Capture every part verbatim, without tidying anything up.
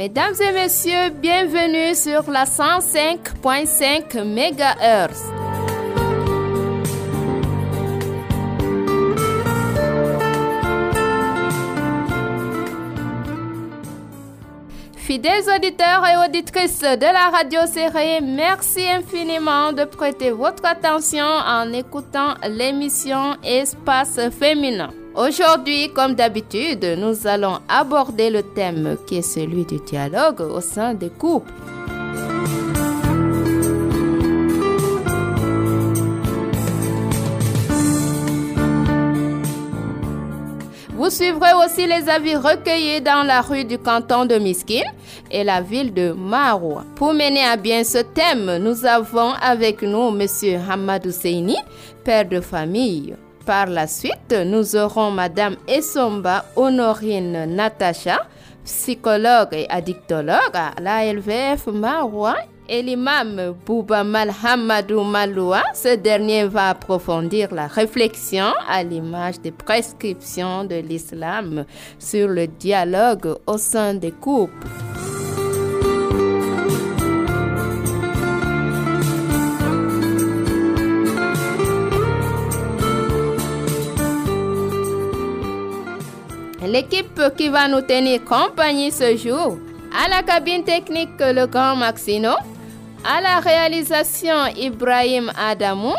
Mesdames et messieurs, bienvenue sur la cent cinq virgule cinq mégahertz. Fidèles auditeurs et auditrices de la radio Séré, merci infiniment de prêter votre attention en écoutant l'émission Espace féminin. Aujourd'hui, comme d'habitude, nous allons aborder le thème qui est celui du dialogue au sein des couples. Vous suivrez aussi les avis recueillis dans la rue du canton de Miskine et la ville de Maroua. Pour mener à bien ce thème, nous avons avec nous M. Hamadou Seyni, père de famille. Par la suite, nous aurons Madame Essomba Honorine Natacha, psychologue et addictologue à l'A L V F Maroua, et l'imam Bouba Malhamadou Maloua. Ce dernier va approfondir la réflexion à l'image des prescriptions de l'islam sur le dialogue au sein des couples. L'équipe qui va nous tenir compagnie ce jour, à la cabine technique le grand Maxino, à la réalisation Ibrahim Adamou,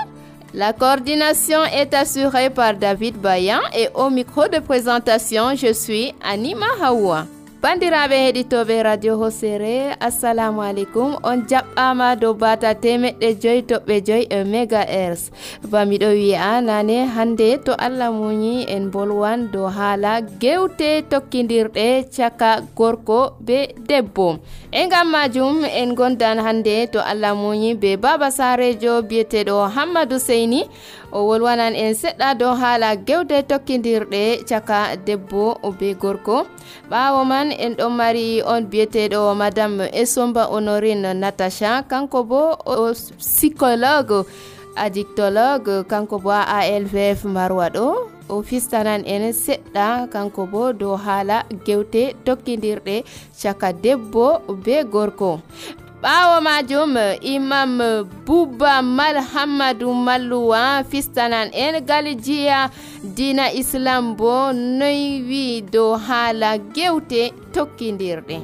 la coordination est assurée par David Bayan et au micro de présentation, je suis Anima Hawa. Bandiraɓe heɗitoɓe radio Hosere, assalamu alaikum. On jaɓɓama dow bata temeɗɗe joyi toɓɓe joyi e mégahertz. Ba miɗo wi'a nane hande to Allah muñi en bolwan dow haala gewte tokkidirɗe caka gorko be debbo. E ngam majum en gondan hande to Allah muñi be baba sarejo biyeteɗo Hammadou Seyni o wolwanan en seɗɗa dow haala gewte tokkidirɗe caka debbo be gorko. Ɓawo man en ɗon mari on biyeteɗo madame Essomba Honorine Natacha, kanko bo o psychologue addictologue, kanko bo A L V F Maroua ɗo o fistanan en seɗɗa kanko bo dow haala gewte tokkidirɗe caka debbo be gorko. Ɓawo majum imam Bouba Malhamadou Maloua fistanan en galjiya dina islam bo noy wi dow haala gewte tokkidirɗe.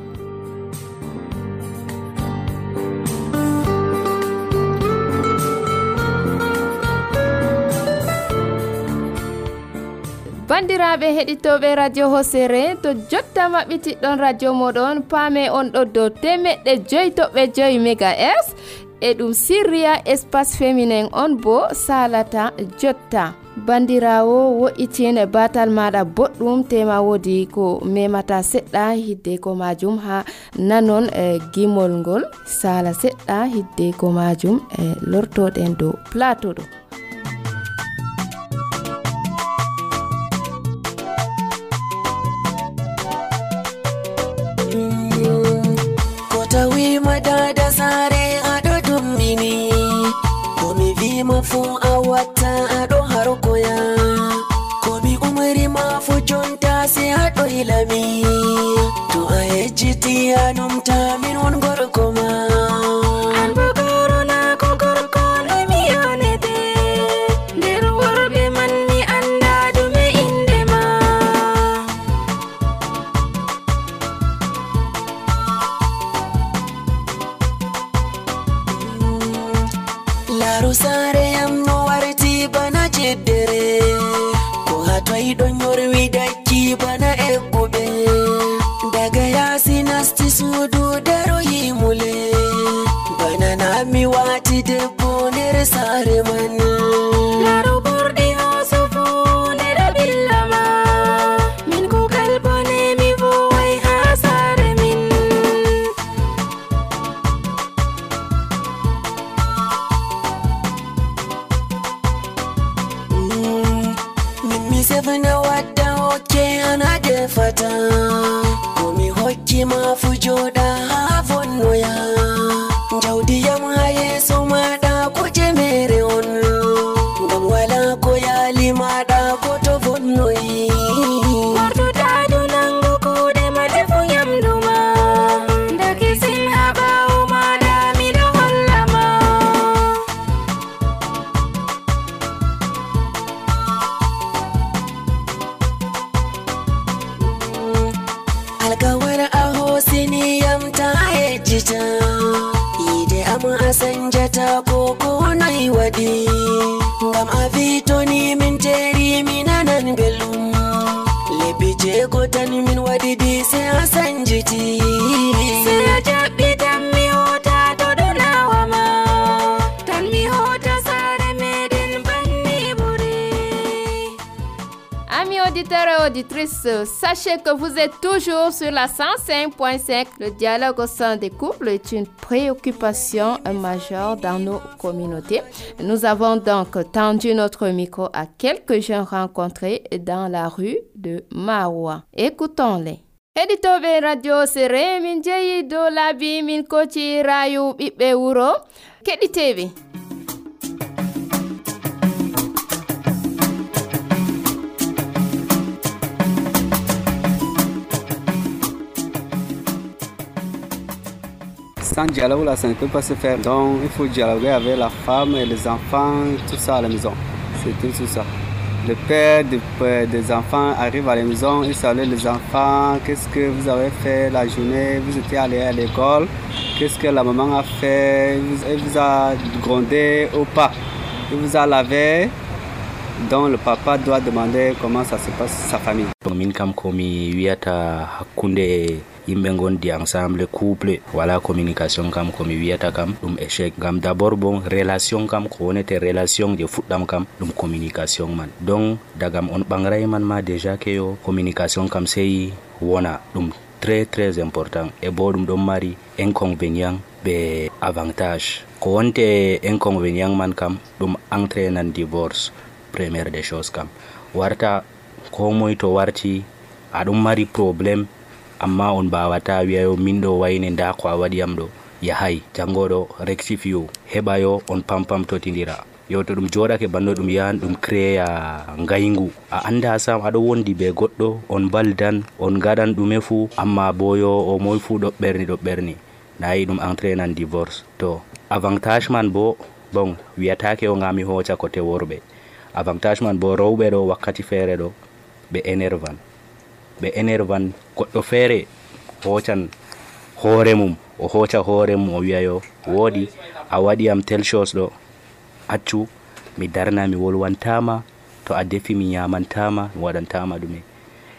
Bandiraɓe heɗitoɓe radio Hosere, to jotta maɓɓitiɗɗon radio moɗon paame on ɗo dow temeɗɗe joyi toɓɓe joyi mégahertz e ɗum sirriya espace féminin on bo salata jotta. Bandirawo wo'itine batal maɗa boɗɗum tema wodi ko memata seɗɗa hidde ko majum ha nanon e gimol ngol sala seɗɗa hidde ko majum e lortoɗen dow plateau ɗo. Dada sare ado dummini komi vima fu awata ado harkoya komi umri ma fu jonta se ado ilami to a hejjiti anumta min won gorko ma an bogoro na ko gorko le mi yonete nder worbe man mi anda dume inde ma Laru sare am no warti bana jeddere ko hatoi don yorwi dakki bana eggube daga yasi nasti sudu daro yimule bana na mi wati debbo nder sare man Laru burdi hosufu nder billama min ko kalbone mi voy ha sare min Mi sevna wadda hokke ana defata komi hokki ma fu joɗa ha vonnoya jawdi yam ha yeso maɗa ko jemere on ngam wala ko yali maɗa ko to vonnoyi wartuɗa du nango kuɗe ma defu yamdu ma auditrices, sachez que vous êtes toujours sur la cent cinq point cinq. Le dialogue au sein des couples est une préoccupation majeure dans nos communautés. Nous avons donc tendu notre micro à quelques jeunes rencontrés dans la rue de Maroua. Écoutons-les. Editobe radio sere min jeyi do labi min koti rayu ɓiɓɓe wuro keɗiteɓe. Sans dialogue, là, ça ne peut pas se faire. Donc, il faut dialoguer avec la femme et les enfants, tout ça à la maison. C'est tout, tout ça. Le père de, des enfants arrive à la maison, il salue les enfants. Qu'est-ce que vous avez fait la journée? Vous étiez allé à l'école? Qu'est-ce que la maman a fait? Elle vous a grondé ou pas? Il vous a lavé? Donc, le papa doit demander comment ça se passe sa famille. Yimɓe gondi ensemble couple wala communication kam komi wiyata kam ɗum échec gam d'abord bon relation kam ko wonete relation je fuɗɗam kam ɗum communication man donc dagam on ɓangray man ma déjà ke yo communication kam sey wona ɗum très très important e bo ɗum ɗon mari inconvénient be avantage ko wonte inconvénient man kam ɗum entraînan divorce première des choses kam warta ko moy to warti aɗum mari problème amma on bawata wiyayo min ɗo wayne nda ko a waɗi am ɗo yahay jangoɗo rectifio heɓa yo on pampam totidira yo to ɗum joɗake banno ɗum yahan ɗum créa ngaygu a anda sam aɗo wondi be goɗɗo on baldan on gaɗan ɗume fuu amma bo yo o moy fuu ɗo ɓerni ɗo ɓerni nayi ɗum entraînan divorce to avantage man bo bon wiyatake o ngami hoca côté worɓe avantage man bo rewɓe ɗo wakkati feere ɗo ɓe énervan ɓe énervan goɗɗo feere hocan hoore mum o hoca hoore mum o wiya yo woodi a waɗi am tel chose ɗo accu mi darna mi wolwantama to a defi mi nyamantama mi waɗantama ɗume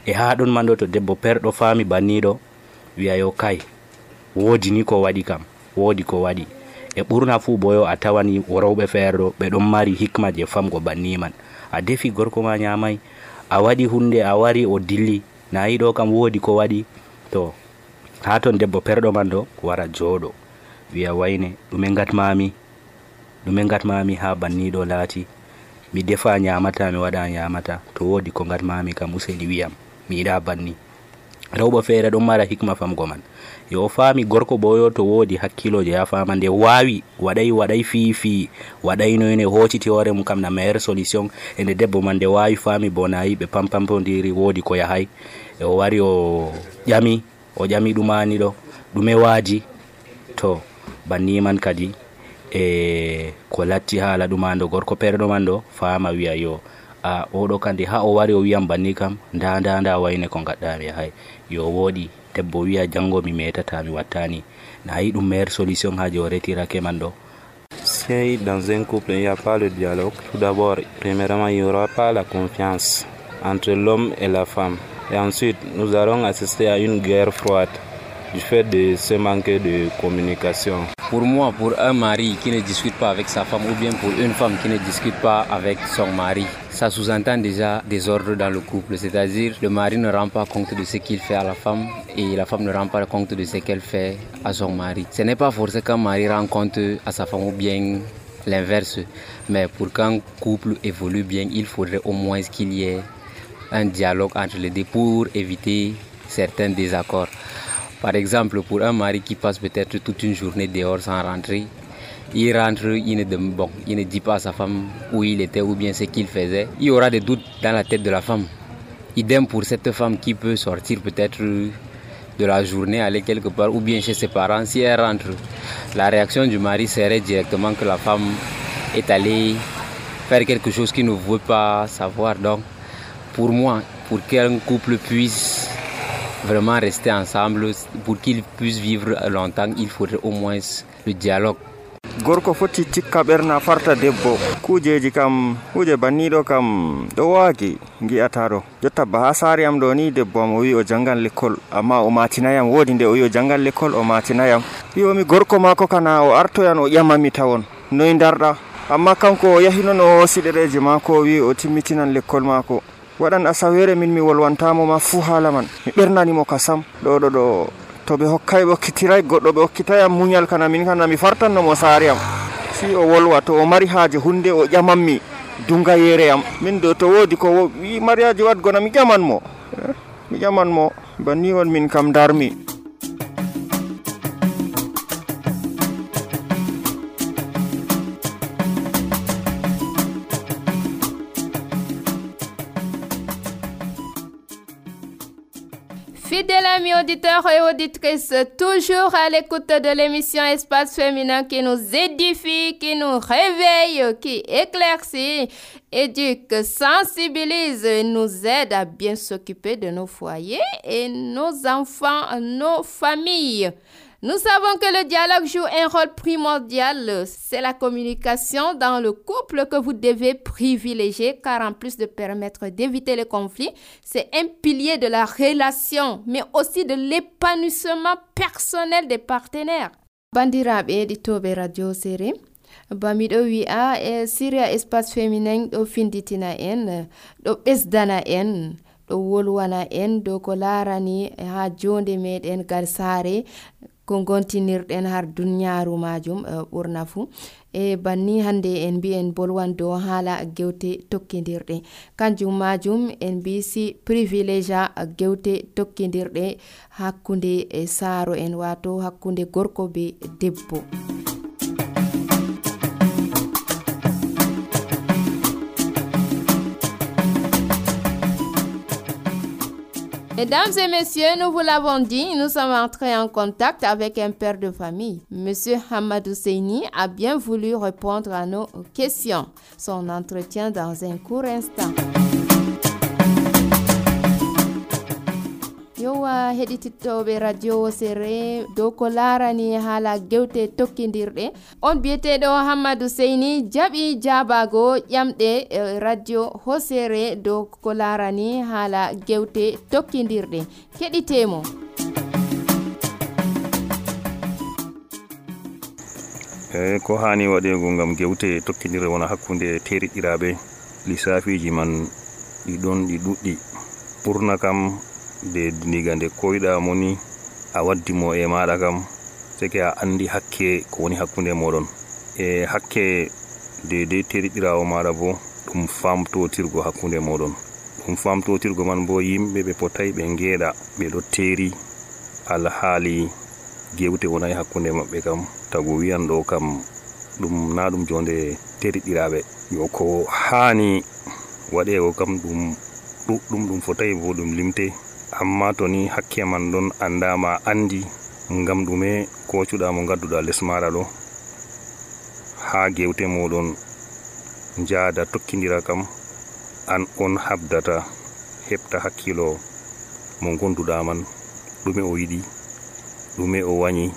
e ha ɗon man ɗo to debbo perɗo faami banniɗo wiya yo kay woodi ni ko waɗi kam woodi ko waɗi e ɓurna fuu boyo a tawani rewɓe feere ɗo ɓe ɗon mari hikma je famgo banni man a defi gorko ma nyamay a waɗi hunde a wari o dilli na yiɗo kam woodi ko waɗi to ha ton debbo perɗo man ɗo wara jooɗo wiya wayne ɗume gatmami ɗume gatmami ha banniɗo laati mi defa nyamata mi waɗa nyamata to woodi ko gatmami kam useni wiyam mi yiɗa banni rewɓe feere ɗon mara hikma famgo man yo faami gorko boyo to woodi hakkiloje ya fama nde wawi waɗay waɗay fiifi waɗaynoyne hocciti hoore mum kam na meilleure solution e nde debbo man nde wawi faami bo nayi ɓe pampampodiri woodi ko yahay e o wari o ƴami o ƴami ɗumani ɗo ɗume waaji to banni man kadi e ko latti haala ɗumando gorko perɗo man ɗo faama wiya yo a oɗo kandi ha o wari o wiyam banni kam nda nda nda wayne ko gaɗɗami yahay yo woodi debbo wiya jango mi metata mi wattani na yi ɗum meilleure solution ha je o retirake man ɗo. Si dans un couple il n'y a pas le dialogue, tout d'abord premièrement il n'y aura pas la confiance entre l'homme et la femme et ensuite nous allons assister à une guerre froide du fait de ce manque de communication. Pour moi, pour un mari qui ne discute pas avec sa femme ou bien pour une femme qui ne discute pas avec son mari, ça sous-entend déjà des ordres dans le couple. C'est-à-dire le mari ne rend pas compte de ce qu'il fait à la femme et la femme ne rend pas compte de ce qu'elle fait à son mari. Ce n'est pas forcément qu'un mari rend compte à sa femme ou bien l'inverse. Mais pour qu'un couple évolue bien, il faudrait au moins qu'il y ait un dialogue entre les deux pour éviter certains désaccords. Par exemple, pour un mari qui passe peut-être toute une journée dehors sans rentrer, il rentre, il ne, bon, il ne dit pas à sa femme où il était ou bien ce qu'il faisait. Il y aura des doutes dans la tête de la femme. Idem pour cette femme qui peut sortir peut-être de la journée, aller quelque part ou bien chez ses parents. Si elle rentre, la réaction du mari serait directement que la femme est allée faire quelque chose qu'il ne veut pas savoir. Donc, pour moi, pour qu'un couple puisse vraiment rester ensemble, pour qu'ils puissent vivre longtemps, il faudrait au moins le dialogue. Gorko foti tikka ɓerna farta debbo kujeji kam kuje banniɗo kam ɗo waagi gi'ata ɗo jotta ba ha saari am ɗo ni debbo am o wi o jangan l'école amma o matinayam woodi nde o wi o jangan l'école o matinayam wiyomi gorko mako kana o artoyan o ƴamami tawon noy darɗa amma kanko o yahi non o hoosi ɗereji mako o wi o timmitinan l'école mako waɗan asawere min mi wolwantamo ma fuu haala man mi ɓernanimo kasam ɗo ɗo ɗo to ɓe hokkay ɓe hokkitiray goɗɗo ɓe hokkitayam muñal kana min kana mi fartannomo saare am si o wolwa to o mari haaje hunde o ƴamanmi dunga yere am min do to woodi ko wi mariaji wadgona mi ƴamanmo mi ƴamanmo banni on min kam darmi. Fidèles amis auditeurs et auditrices, toujours à l'écoute de l'émission Espace Féminin qui nous édifie, qui nous réveille, qui éclaircit, éduque, sensibilise et nous aide à bien s'occuper de nos foyers et nos enfants, nos familles. Nous savons que le dialogue joue un rôle primordial. C'est la communication dans le couple que vous devez privilégier car en plus de permettre d'éviter les conflits, c'est un pilier de la relation mais aussi de l'épanouissement personnel des partenaires. Bandiraɓe heɗitoɓe radio Séré, bamiɗo wi'a e Syria Espace Féminin ɗo finditina en, ɗo ɓesdana en, ɗo wolwana en dow ko larani ha jonde meɗen gal saare ko gontinirɗen har duniyaaru majum ɓurna fuu e banni hande en mbi en bolwan dow haala gewte tokkidirɗe kanjum majum en mbi si privilégia gewte tokkidirɗe hakkunde e saaro en wato hakkunde gorko be debbo. Mesdames et messieurs, nous vous l'avons dit, nous sommes entrés en contact avec un père de famille. Monsieur Hamadou Seyni a bien voulu répondre à nos questions. Son entretien dans un court instant. Yowa heɗitittoɓe radio Séré dow ko larani haala gewte tokkidirɗe on biyeteɗo Hamadou Seyni jaɓi jabago ƴamɗe radio Hosere dow ko larani haala gewte tokkidirɗe keɗitemo. e ko hani waɗego gam gewte tokkidirɗe wona hakkunde teriɗiraɓe lissafiji man ɗi ɗon ɗi ɗuɗɗi ɓurna kam de diga nde koyɗa moni a waddimo e maɗa kam seke a andi hakke ko woni hakkunde moɗon e hakke de de teriɗirawo maɗa bo ɗum famtotirgo hakkunde moɗon ɗum famtotirgo man bo yimɓe ɓe potay ɓe ngeeɗa ɓeɗo teri alhaali gewte wonay hakkunde maɓɓe kam tagu wiyan ɗo kam ɗum na ɗum jonde teriɗiraɓe yo ko hani waɗego kam ɗum ɗuɗɗum ɗum fotay bo ɗum limte amma to ni hakke man ɗon andama andi ngam ɗume kocuɗa mo gadduɗa les maɗa ɗo ha gewte moɗon jaada tokkidira kam an on habdata heɓta hakkilo mo gonduɗa man ɗume o yiɗi ɗume o wañi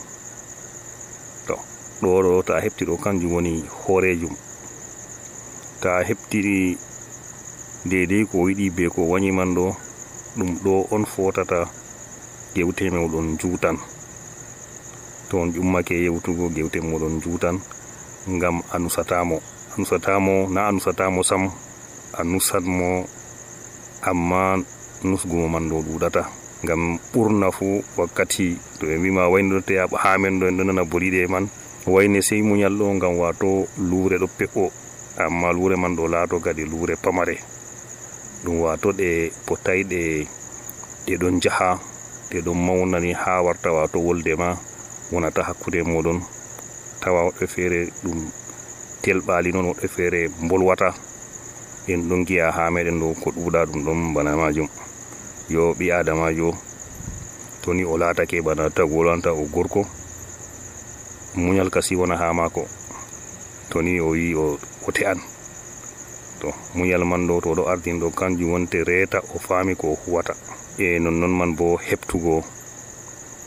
to ɗo ɗo ta heɓti ɗo kanjum woni hoorejum ta heɓtiri dedei ko yiɗi be ko wañi man ɗo ɗum ɗo on fotata gewte moɗon juutan to on ƴummake yewtugo gewte moɗon juutan ngam a nusatamo a nusatamo na a nusatamo sam a nusatmo amma nusgumo man ɗo ɗuɗata ngam ɓurna fu wakkati to ɓe mbima waynote a hamen ɗo en ɗo nana boliɗe man wayne sey muñal ɗo ngam wato luure ɗo pe'o amma luure man ɗo laato kadi luure pamare ɗum wato ɗe potay ɗe ɗe ɗon jaha ɗe ɗon mawnani ha warta wato wolde ma wonata hakkude moɗon tawa woɓɓe feere ɗum telɓali noon woɓɓe feere bolwata en ɗon giya ha meɗen ɗo ko ɗuuɗa ɗum ɗon bana majum yo ɓi adamajo to ni o laatake bana tagu wolanta o gorko muñal kasi wona ha mako to ni o wi o te'an to muñal man ɗo to ɗo ardin ɗo kanjum wonte reeta o faami ko huwata e nonnon man bo heɓtugo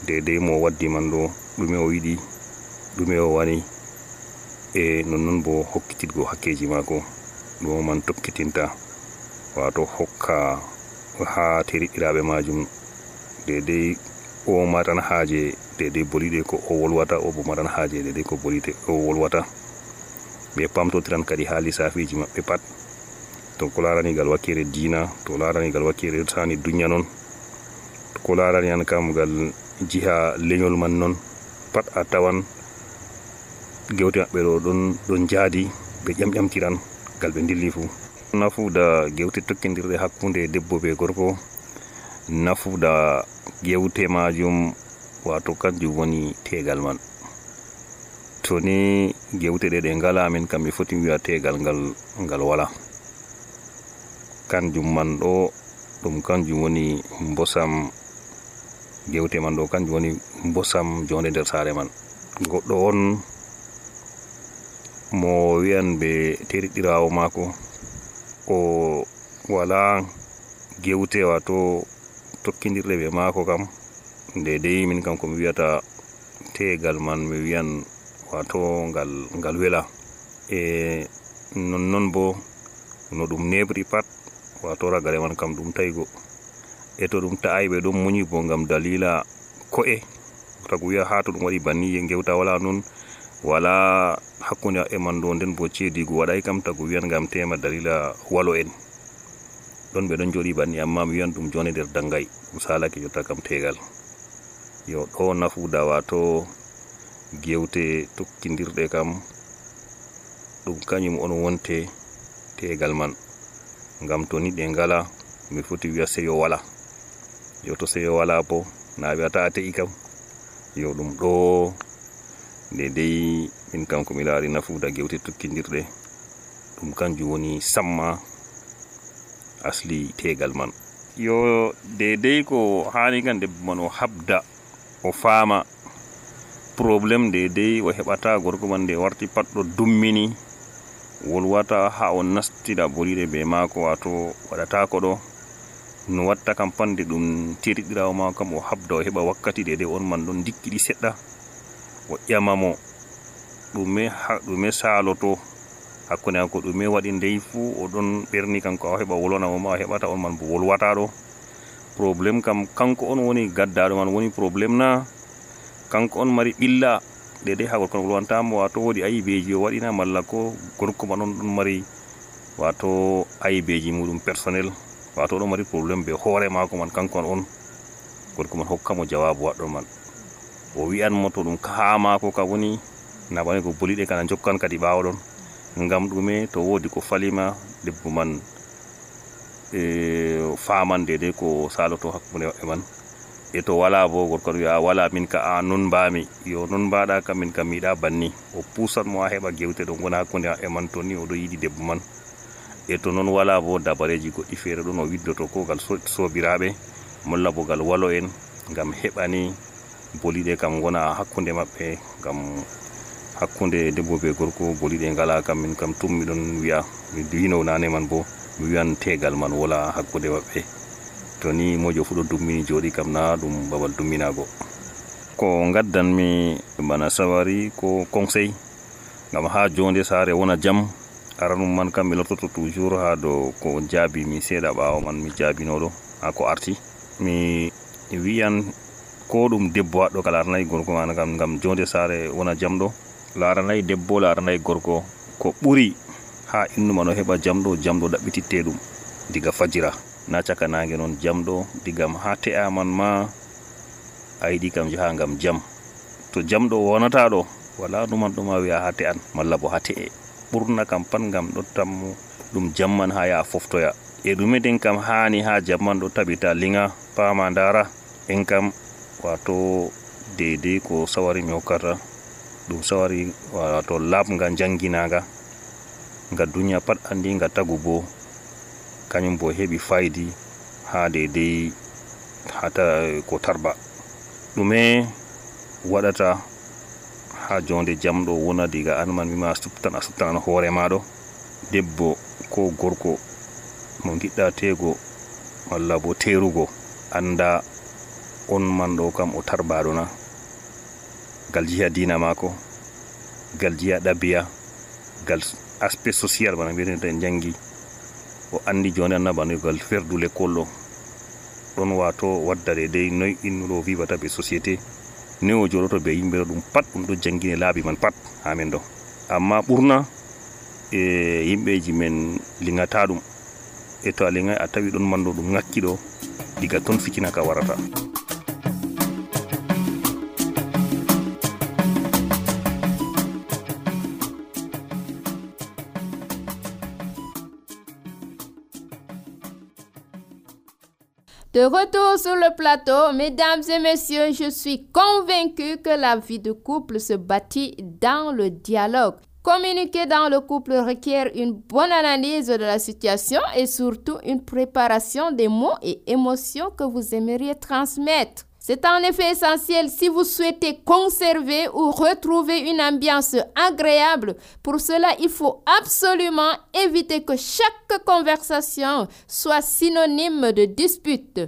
dedei mo waddi man ɗo ɗume o yiɗi ɗume o wani e nonnon bo hokkititgo hakkeji mako ɗo man tokkitinta wato hokka ha teriɗiraɓe majum dedei o matan haaje dedei boliɗe ko o wolwata o bo matan haaje dedei ko boliɗe o wolwata ɓe pamtotiran kadi ha lissafiji maɓɓe pat to ko larani gal wakkere dina, to larani gal wakkere tani dunya non, ko larani an kam gal jiha leñol man non, pat a tawan gewte maɓɓe ɗo ɗon ɗon jaadi ɓe ƴamƴamtiran gal ɓe dilli fu. Nafuda gewte tokkidirɗe hakkunde debbo be gorko, nafuda gewte majum wato kanjum woni tegal man. To ni gewte ɗe ɗe ngala min kam mi foti wi'a tegal ngal ngal wala. Kanjum man ɗo ɗum kanjum woni mbosam gewte man ɗo, kanjum woni mbosam jonde nder sare man. Goɗɗo on mo wi'an ɓe teriɗirawo mako o wala gewte wato tokkidirɗe be mako kam, dedei min kam ko mi wi'ata tegal man mi wi'an wato ngal ngal wela. E nonnon bo no ɗum nebri pat wato ragare man kam ɗum taigo, e to ɗum ta'ai ɓe ɗon muñi bo ngam dalila ko'e, tagu wi'a ha to ɗum waɗi banni gewta wala non wala hakkunde e man ɗo, nden bo cedigo waɗai kam tagu wi'an ngam tema dalila walo en ɗon ɓe ɗon joɗi banni, amma mi wi'an ɗum jone nder dangay ɗum salake jotta kam tegal. Yo ɗo nafuda wato gewte tokkidirɗe kam ɗum kañum on wonte tegal man, ngam to ni ɗe ngala mi foti wi'a seyo wala. Yo to seyo wala bo na wi'ata a te'i kam, yo ɗum ɗo dedei min kam ko mi laari nafuda gewte tokkidirɗe ɗum kanjum woni samma asli tegal man. Yo dedei ko hani kan debbo man o habda o faama problem dedei o heɓata gorko man nde warti pat ɗo dummini wolwata ha o nastida boliɗe be mako, wato waɗata ko ɗo no watta kam pande ɗum teriɗirawo mako kam o habda o heɓa wakkati dedei on man ɗon dikkiɗi seɗɗa, o ƴamamo ɗume ɗume saloto hakkunde hanko, ɗume waɗi ndey fu o ɗon ɓerni kanko a heɓa wolwanamo ma, a heɓata on man bo wolwata ɗo. Problem kam kanko on woni gaddaɗo man woni problem na kanko on mari ɓilla dedei ha gorko wolwantamo, wato wodi ayibeji o waɗina, malla ko gorko man on ɗon mari wato ayibeji muɗum personnel, wato ɗon mari problem be hoore mako man kanko on gorko man hokkamo jawabu waɗɗo man, o wi'anmo to ɗum kaha mako ka woni na bane ko boliɗe kana jokkan kadi ɓawo ɗon, ngam ɗume to wodi ko falima debbo man e faman dedei ko saloto hakkunde maɓɓe man. E to wala bo gorko wi'a wala min ka a non mbami, yo non mbaɗa kam min kam miɗa banni, o pusat mo a heɓa gewte ɗo gona hakkunde maɓɓe man to ni oɗo yiɗi debbo man. E to non wala bo dabareji goɗɗi feere ɗon o widdoto ko gal sobiraɓe malla bo gal walo en ngam heɓani boliɗe kam gona hakkunde maɓɓe, ngam hakkunde debbo be gorko boliɗe ngala kam min kam tum miɗon wi'a mi wino nane man bo mi wi'an tegal man wala hakkunde maɓɓe. To ni mojo fu ɗo dummini joɗi kam na ɗum babal dumminago. Ko gaddanmi bana sawari ko conseil ngam ha jonde sare wona jam, aranum man kam mi lortoto toujours ha do ko jaabi mi seeɗa ɓawo man mi jaabinoɗo ha ko arti. Mi wi'an ko ɗum debbo waɗɗo ka laranayi gorko man kam ngam jonde sare wona jam ɗo, laranayi debbo laranayi gorko, ko ɓuri ha innu man o heɓa jam ɗo jam ɗo ɗaɓɓititte ɗum diga fajira na caka nange non jam ɗo, digam ha te'a man ma a yiɗi kam jaha ngam jam. To jam ɗo wonata ɗo wala ɗuman ɗuma wi'a ha te'an malla bo ha te'e, ɓurna kam pat ngam ɗo tammu ɗum jam man ha ya foftoya. E ɗume den kam hani ha jam man ɗo tabita linga pama ndara en kam wato dedei ko sawari mi hokkata ɗum sawari wato labga janginaga nga duniya pat andi nga tagu bo kañum bo heɓi faydi ha dedei hata ko tarba. ɗume waɗata ha jonde jam ɗo wona diga an man mima subtan a subtanan hoore maɗo, debbo ko gorko mo giɗɗa tego walla bo terugo anda on man ɗo kam o tarbaɗo na, gal jiha dina mako, gal jiha ɗabiya, gal aspect social bana mbiyetenta en jangi, o andi jonde annabano gal ferdu l'école ɗo ɗon wato wadda dedei noy innuɗo vivata be société, ni o joɗoto be yimɓe ɗo ɗum pat ɗum ɗo jangine laabi man pat ha men ɗo. Amma ɓurna e yimɓeji men lingata ɗum e to a leŋay a tawi ɗon manɗo ɗum ŋakki ɗo diga ton fitina ka warata. De retour sur le plateau, mesdames et messieurs, je suis convaincue que la vie de couple se bâtit dans le dialogue. Communiquer dans le couple requiert une bonne analyse de la situation et surtout une préparation des mots et émotions que vous aimeriez transmettre. C'est en effet essentiel si vous souhaitez conserver ou retrouver une ambiance agréable. Pour cela, il faut absolument éviter que chaque conversation soit synonyme de dispute.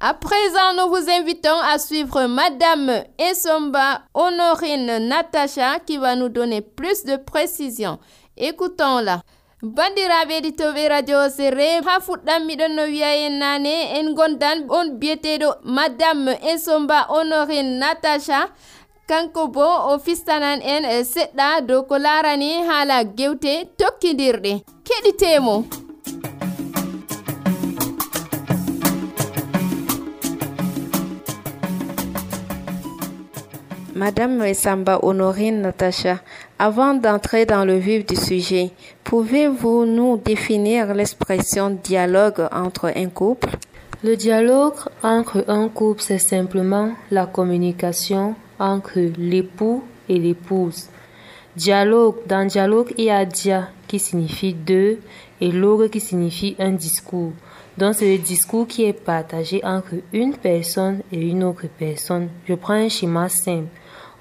À présent, nous vous invitons à suivre Madame Essomba Honorine Natacha qui va nous donner plus de précisions. Écoutons-la. Bandiraɓe ɗitoɓe radio sere ha fuɗɗam miɗon no wiya en nane en gondan on biyeteɗo madame Essomba Honorine Natacha kanko bo o fistanan en seɗɗa dow ko larani haala gewte tokkidirɗe keɗitemo. Madame Essomba Honorine Natacha, avant d'entrer dans le vif du sujet, pouvez-vous nous définir l'expression dialogue entre un couple? Le dialogue entre un couple, c'est simplement la communication entre l'époux et l'épouse. Dialogue, dans dialogue, il y a dia qui signifie deux et log qui signifie un discours. Donc, c'est le discours qui est partagé entre une personne et une autre personne. Je prends un schéma simple.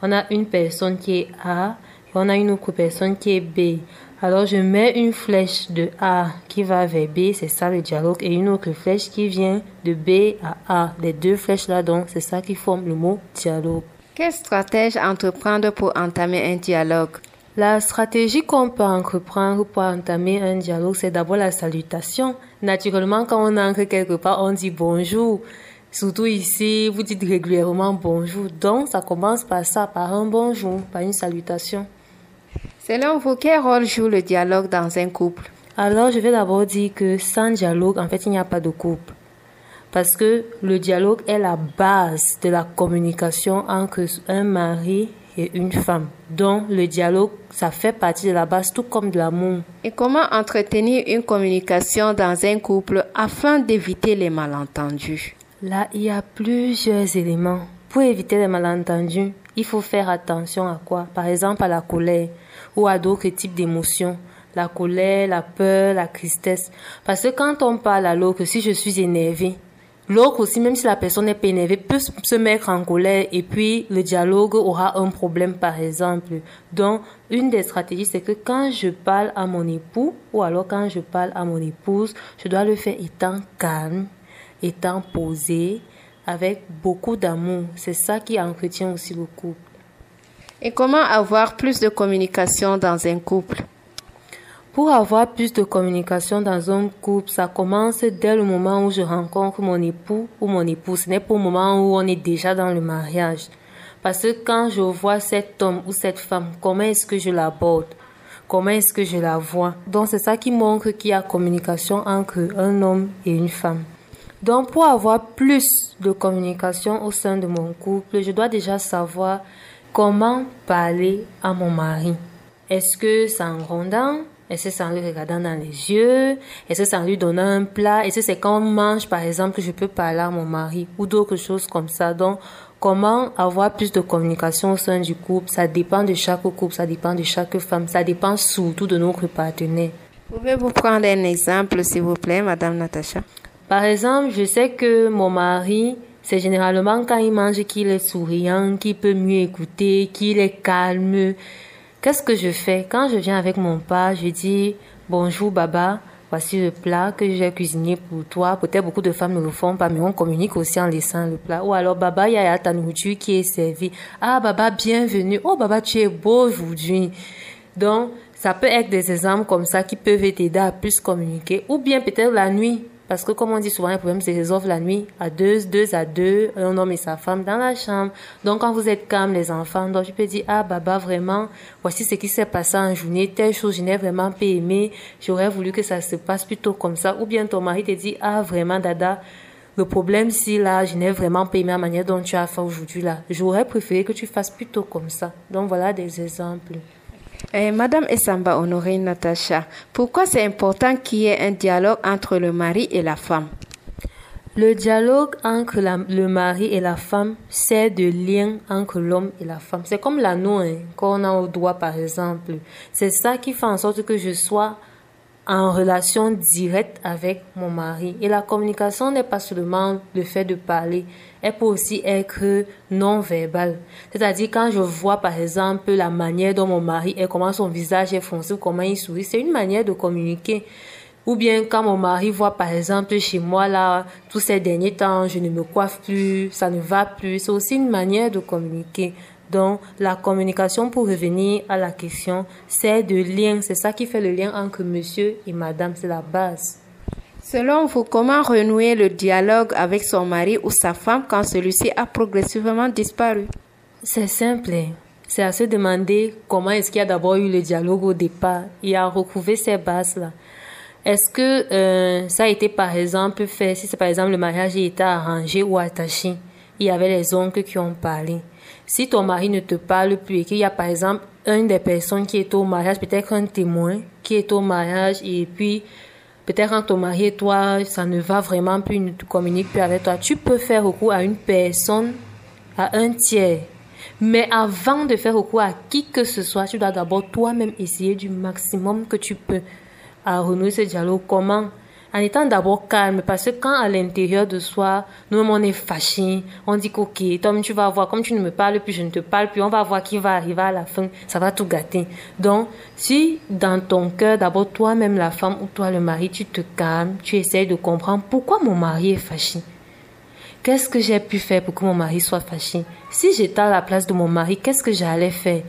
On a une personne qui est A et on a une autre personne qui est B. Alors, je mets une flèche de A qui va vers B, c'est ça le dialogue, et une autre flèche qui vient de B à A. Les deux flèches-là, donc, c'est ça qui forme le mot dialogue. Quelle stratégie entreprendre pour entamer un dialogue? La stratégie qu'on peut entreprendre pour entamer un dialogue, c'est d'abord la salutation. Naturellement, quand on entre quelque part, on dit bonjour. Surtout ici, vous dites régulièrement bonjour. Donc, ça commence par ça, par un bonjour, par une salutation. Selon vous, quel rôle joue le dialogue dans un couple? Alors, je vais d'abord dire que sans dialogue, en fait, il n'y a pas de couple. Parce que le dialogue est la base de la communication entre un mari et une femme. Donc, le dialogue, ça fait partie de la base, tout comme de l'amour. Et comment entretenir une communication dans un couple afin d'éviter les malentendus? Là, il y a plusieurs éléments. Pour éviter les malentendus, il faut faire attention à quoi? Par exemple, à la colère ou à d'autres types d'émotions. La colère, la peur, la tristesse. Parce que quand on parle à l'autre, si je suis énervée, l'autre aussi, même si la personne n'est pas énervée, peut se mettre en colère et puis le dialogue aura un problème, par exemple. Donc, une des stratégies, c'est que quand je parle à mon époux ou alors quand je parle à mon épouse, je dois le faire étant calme, étant posé, avec beaucoup d'amour. C'est ça qui entretient aussi le couple. Et comment avoir plus de communication dans un couple? Pour avoir plus de communication dans un couple, ça commence dès le moment où je rencontre mon époux ou mon épouse. Ce n'est pas au moment où on est déjà dans le mariage. Parce que quand je vois cet homme ou cette femme, comment est-ce que je l'aborde? Comment est-ce que je la vois? Donc c'est ça qui montre qu'il y a communication entre un homme et une femme. Donc, pour avoir plus de communication au sein de mon couple, je dois déjà savoir comment parler à mon mari. Est-ce que c'est en grondant? Est-ce que c'est en lui regardant dans les yeux? Est-ce que c'est en lui donnant un plat? Est-ce que c'est quand on mange, par exemple, que je peux parler à mon mari? Ou d'autres choses comme ça. Donc, comment avoir plus de communication au sein du couple? Ça dépend de chaque couple, ça dépend de chaque femme, ça dépend surtout de notre partenaire. Pouvez-vous prendre un exemple, s'il vous plaît, Madame Natacha? Par exemple, je sais que mon mari, c'est généralement quand il mange qu'il est souriant, qu'il peut mieux écouter, qu'il est calme. Qu'est-ce que je fais? Quand je viens avec mon père, je dis « Bonjour Baba, voici le plat que j'ai cuisiné pour toi. » Peut-être beaucoup de femmes ne le font pas, mais on communique aussi en laissant le plat. Ou alors « Baba, il y a ta nourriture qui est servie. »« Ah Baba, bienvenue. Oh Baba, tu es beau aujourd'hui. » Donc, ça peut être des exemples comme ça qui peuvent t'aider à plus communiquer. Ou bien peut-être la nuit. Parce que comme on dit souvent, les problèmes se résolvent la nuit à deux, deux à deux, un homme et sa femme dans la chambre. Donc quand vous êtes calme, les enfants, donc tu peux dire, ah Baba, vraiment, voici ce qui s'est passé en journée, telle chose, je n'ai vraiment pas aimé, j'aurais voulu que ça se passe plutôt comme ça. Ou bien ton mari te dit, ah vraiment Dada, le problème si là, je n'ai vraiment pas aimé la manière dont tu as fait aujourd'hui là. J'aurais préféré que tu fasses plutôt comme ça. Donc voilà des exemples. Eh, Madame Essamba Honorine Natacha, pourquoi c'est important qu'il y ait un dialogue entre le mari et la femme? Le dialogue entre la, le mari et la femme, c'est de lien entre l'homme et la femme. C'est comme l'anneau hein, qu'on a au doigt par exemple. C'est ça qui fait en sorte que je sois en relation directe avec mon mari. Et la communication n'est pas seulement le fait de parler, elle peut aussi être non verbale. C'est-à-dire quand je vois par exemple la manière dont mon mari est, comment son visage est foncé, comment il sourit, c'est une manière de communiquer. Ou bien quand mon mari voit par exemple chez moi là, tous ces derniers temps, je ne me coiffe plus, ça ne va plus, c'est aussi une manière de communiquer. Donc, la communication, pour revenir à la question, c'est de lien. C'est ça qui fait le lien entre monsieur et madame. C'est la base. Selon vous, comment renouer le dialogue avec son mari ou sa femme quand celui-ci a progressivement disparu? C'est simple. C'est à se demander comment est-ce qu'il y a d'abord eu le dialogue au départ et à retrouver ces bases-là. Est-ce que euh, ça a été par exemple fait, si c'est par exemple le mariage a été arrangé ou attaché, il y avait les oncles qui ont parlé. Si ton mari ne te parle plus et qu'il y a par exemple une des personnes qui est au mariage, peut-être un témoin qui est au mariage et puis peut-être quand ton mari et toi, ça ne va vraiment plus, ne te communique plus avec toi, tu peux faire recours à une personne, à un tiers. Mais avant de faire recours à qui que ce soit, tu dois d'abord toi-même essayer du maximum que tu peux à renouer ce dialogue. Comment? En étant d'abord calme, parce que quand à l'intérieur de soi, nous-mêmes on est fâchés, on dit qu'ok, toi tu vas voir, comme tu ne me parles plus, je ne te parle plus, on va voir qui va arriver à la fin, ça va tout gâter. Donc, si dans ton cœur, d'abord toi-même la femme ou toi le mari, tu te calmes, tu essaies de comprendre pourquoi mon mari est fâché. Qu'est-ce que j'ai pu faire pour que mon mari soit fâché? Si j'étais à la place de mon mari, qu'est-ce que j'allais faire?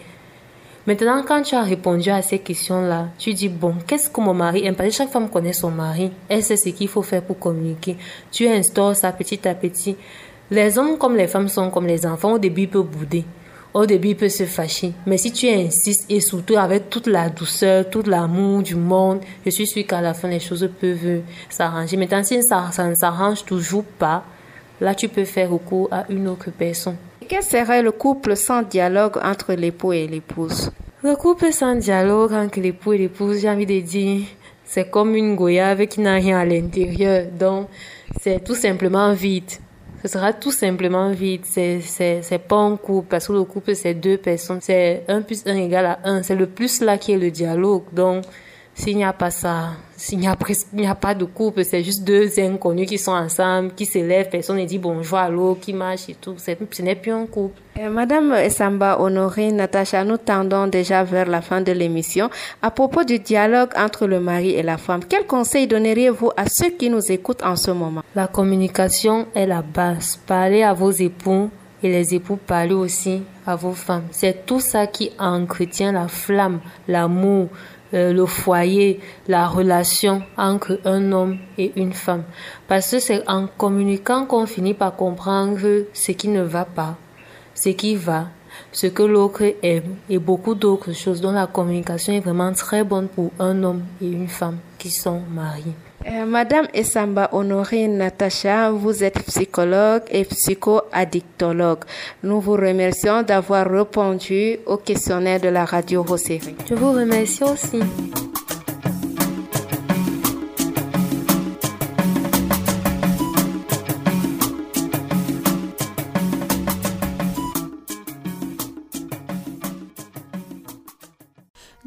Maintenant, quand tu as répondu à ces questions-là, tu dis, bon, qu'est-ce que mon mari aime? Parce que chaque femme connaît son mari. Elle sait ce qu'il faut faire pour communiquer. Tu instaures ça petit à petit. Les hommes comme les femmes sont comme les enfants. Au début, ils peuvent bouder. Au début, ils peuvent se fâcher. Mais si tu insistes et surtout avec toute la douceur, tout l'amour du monde, je suis sûre qu'à la fin, les choses peuvent s'arranger. Maintenant, si ça, ça ne s'arrange toujours pas, là, tu peux faire recours à une autre personne. Quel serait le couple sans dialogue entre l'époux et l'épouse? Le couple sans dialogue entre l'époux et l'épouse, j'ai envie de dire, c'est comme une goyave qui n'a rien à l'intérieur. Donc, c'est tout simplement vide. Ce sera tout simplement vide. C'est, c'est, c'est pas un couple, parce que le couple, c'est deux personnes. C'est un plus un égale à un. C'est le plus là qui est le dialogue. Donc, s'il n'y a pas ça, s'il n'y a presque, il n'y a pas de couple, c'est juste deux inconnus qui sont ensemble, qui s'élèvent, personne ne dit bonjour à l'autre, qui marche et tout. C'est, ce n'est plus un couple. Euh, Madame Essamba Honorine Natacha, nous tendons déjà vers la fin de l'émission. À propos du dialogue entre le mari et la femme, quel conseil donneriez-vous à ceux qui nous écoutent en ce moment? La communication est la base. Parlez à vos époux et les époux parlez aussi à vos femmes. C'est tout ça qui entretient la flamme, l'amour, Euh, le foyer, la relation entre un homme et une femme. Parce que c'est en communiquant qu'on finit par comprendre ce qui ne va pas, ce qui va, ce que l'autre aime et beaucoup d'autres choses. Donc la communication est vraiment très bonne pour un homme et une femme qui sont mariés. Euh, Madame Essamba Honorine Natacha, vous êtes psychologue et psycho-addictologue. Nous vous remercions d'avoir répondu au questionnaire de la radio Rosséré. Je vous remercie aussi.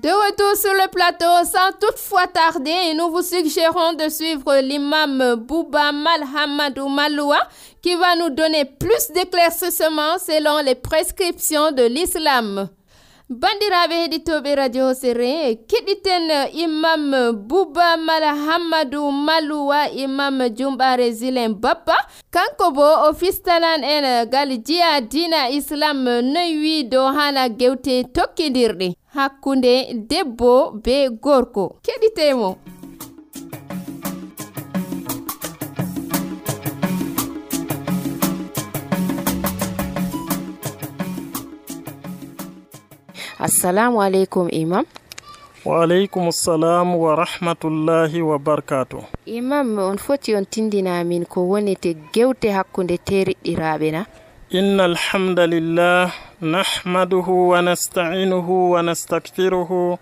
De retour sur le plateau, sans toutefois tarder, nous vous suggérons de suivre l'imam Bouba Malhamadou Maloua qui va nous donner plus d'éclaircissements selon les prescriptions de l'islam. Bandiraɓe heɗitoɓe radio sere keɗiten imam Bouba Malhamadou Maloua imam Jumbare Zilen Bappa kanko bo o fistanan en gal jiya dina islam noyi dow hala gewte tokkidirɗe hakkunde debbo be gorko. Keɗitemo. assalamu aleykum imam. wa aleykum salam wa rahmatullahi wa barakatuh. Imam, on foti on tindina min ko wonete gewte hakkunde teriɗɗiraɓe na? inna alhamdulillah nahmaduhu wa nasta'inuhu wa nastakfiruhu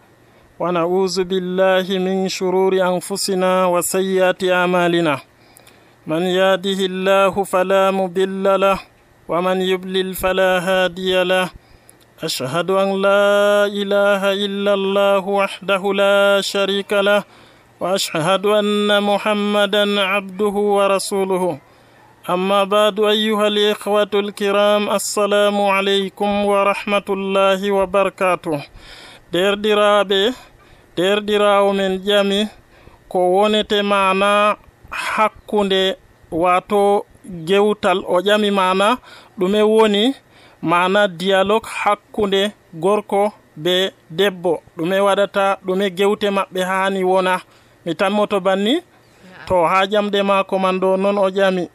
wa na'udhu billahi min shururi anfusina wa sayyiati a'malina. man yahdihillahu fala mudilla lahu wa man yudlil fala hadiya lahu. أشهد أن لا إله إلا الله وحده لا شريك له وأشهد أن محمدا عبده ورسوله. أما بعد أيها الإخوة الكرام السلام عليكم ورحمة الله وبركاته. دير ديرابي دير ديراو من جامي كوونت معنا حقوني واتو جوتال أو جامي معنا دومي ووني mana dialogue hakkunde gorko be debbo ɗume waɗata ɗume gewte maɓɓe hani wona. mi tammoto banni to ha jamde mako man ɗo non o ƴami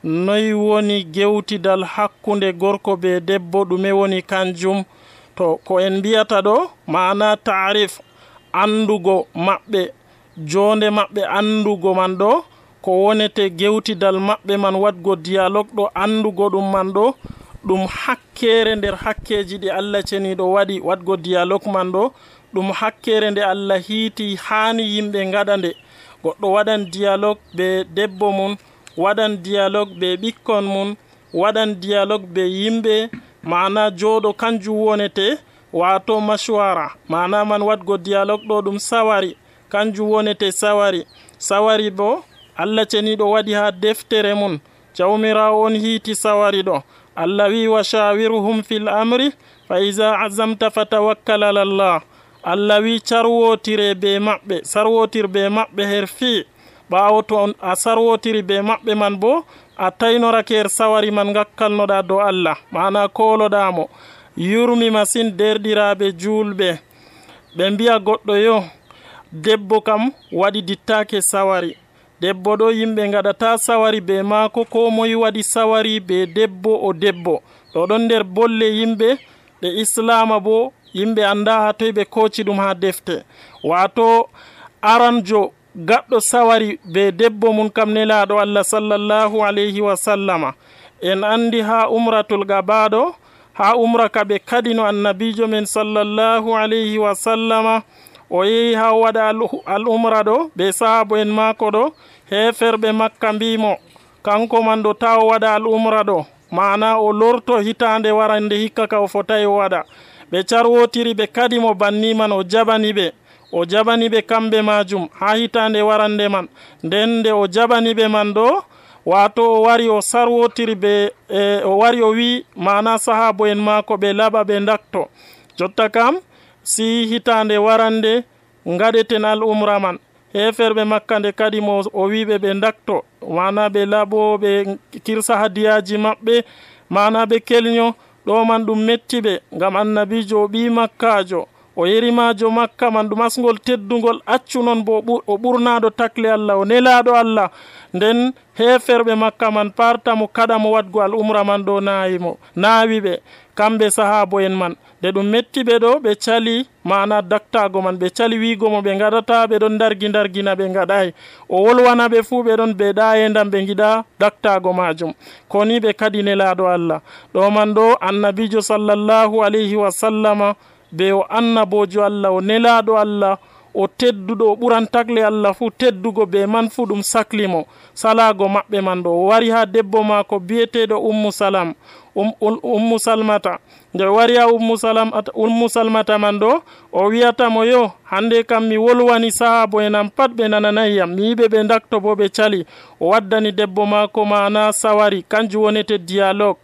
noyi woni gewtidal hakkunde gorko be debbo ɗume woni kanjum. to ko en mbiyata ɗo mana tarif andugo maɓɓe jonde maɓɓe andugo man ɗo ko wonete gewtidal maɓɓe man waɗgo dialogue ɗo andugo ɗum man ɗo ɗum hakkere nder hakkeji ɗi Allah ceniɗo waɗi waɗgo dialogue man ɗo ɗum hakkere nde Allah hiiti hani yimɓe ngaɗa nde. goɗɗo waɗan dialogue be debbo mum, waɗan dialogue be ɓikkon mum, waɗan dialogue be yimɓe, mana joɗo kanjum wonete wato mashwara. mana man waɗgo dialogue ɗo ɗum sawari, kanjum wonete sawari. sawari bo Allah ceniɗo waɗi ha deftere mum, jawmirawo on hiiti sawari ɗo. Allah wi wa shawiruhum fil amri fa iza azamta fatawakkal ala Allah. Allah wi carwotire be maɓɓe, sarwotir be maɓɓe her fi. ɓawo to a sarwotiri be maɓɓe man bo a taynorake her sawari man gakkalnoɗa dow Allah, mana koloɗamo. yurmi masin derɗiraɓe julɓe, ɓe mbiya goɗɗo yo debbo kam waɗi dittake sawari. debbo ɗo yimɓe gaɗata sawari be maako, ko moyi waɗi sawari be debbo o debbo. ɗo ɗon nder bolle yimɓe ɗe islama bo yimɓe anda ha toy ɓe koci ɗum ha defte. wato aranjo gaɗɗo sawari be debbo mum kam nelaɗo Allah sallallahu alayhi wa sallama en andi ha umratul gabaɗo, ha umra ka ɓe kadino annabijo men sallallahu alayhi wa sallama o yehi ha waɗa al umra ɗo be sahabo en mako ɗo. heferɓe makka mbimo kanko man ɗo ta o waɗa al umra ɗo, mana o lorto hitande warande hikka ka o fotai o waɗa. ɓe carwotiri ɓe kadimo banni man, o jabani ɓe o jabani ɓe kamɓe majum ha hitande warande man. nden nde o jabani ɓe man ɗo wato o wari o sarwotiri ɓe e, o wari o wi mana sahabo en mako ɓe laɓa ɓe dakto. jotta kam si hitande warande ngaɗeten al umra man, heferɓe makka nde kadi mo o wiɓe ɓe dakto, mana ɓe laɓo ɓe kirsa hadiyaji maɓɓe, mana ɓe kelño. ɗo man ɗum metti ɓe ngam annabijo o ɓi makkajo, o yerimajo makka man ɗum asgol teddugol accu non bo o ɓurnaɗo takle Allah, o nelaɗo Allah. nden heferɓe makka man partamo kaɗamo waɗgo al umra man ɗo nayimo nawi ɓe kamɓe sahabo en man. nde ɗum metti ɓe ɗo ɓe cali mana daktago man, ɓe cali wigo mo ɓe gaɗata, ɓe ɗon dargi dargina ɓe gaɗay. o wolwana ɓe fuu ɓe ɗon ɓe ɗa endam ɓe giɗa daktago majum, koni ɓe kadi nelaɗo Allah. ɗo man ɗo annabijo sallallahu alayhi wa sallama be o annabojo Allah, o nelaɗo Allah, o tedduɗo, o ɓuran tagle Allah fuu teddugo, be man fuu ɗum saklimo salago maɓɓe man ɗo. o wari ha debbo mako biyeteɗo ummu salam um, um, ummu salmata. nde wari ha ummu salamata, ummu salmata man ɗo o wiyatamo yo hande kam mi wolwani sahabo enam pat ɓe nananayyam, mi yiɓe ɓe dakto bo ɓe cali. o waddani debbo mako mana sawari, kanjum wonete dialogue.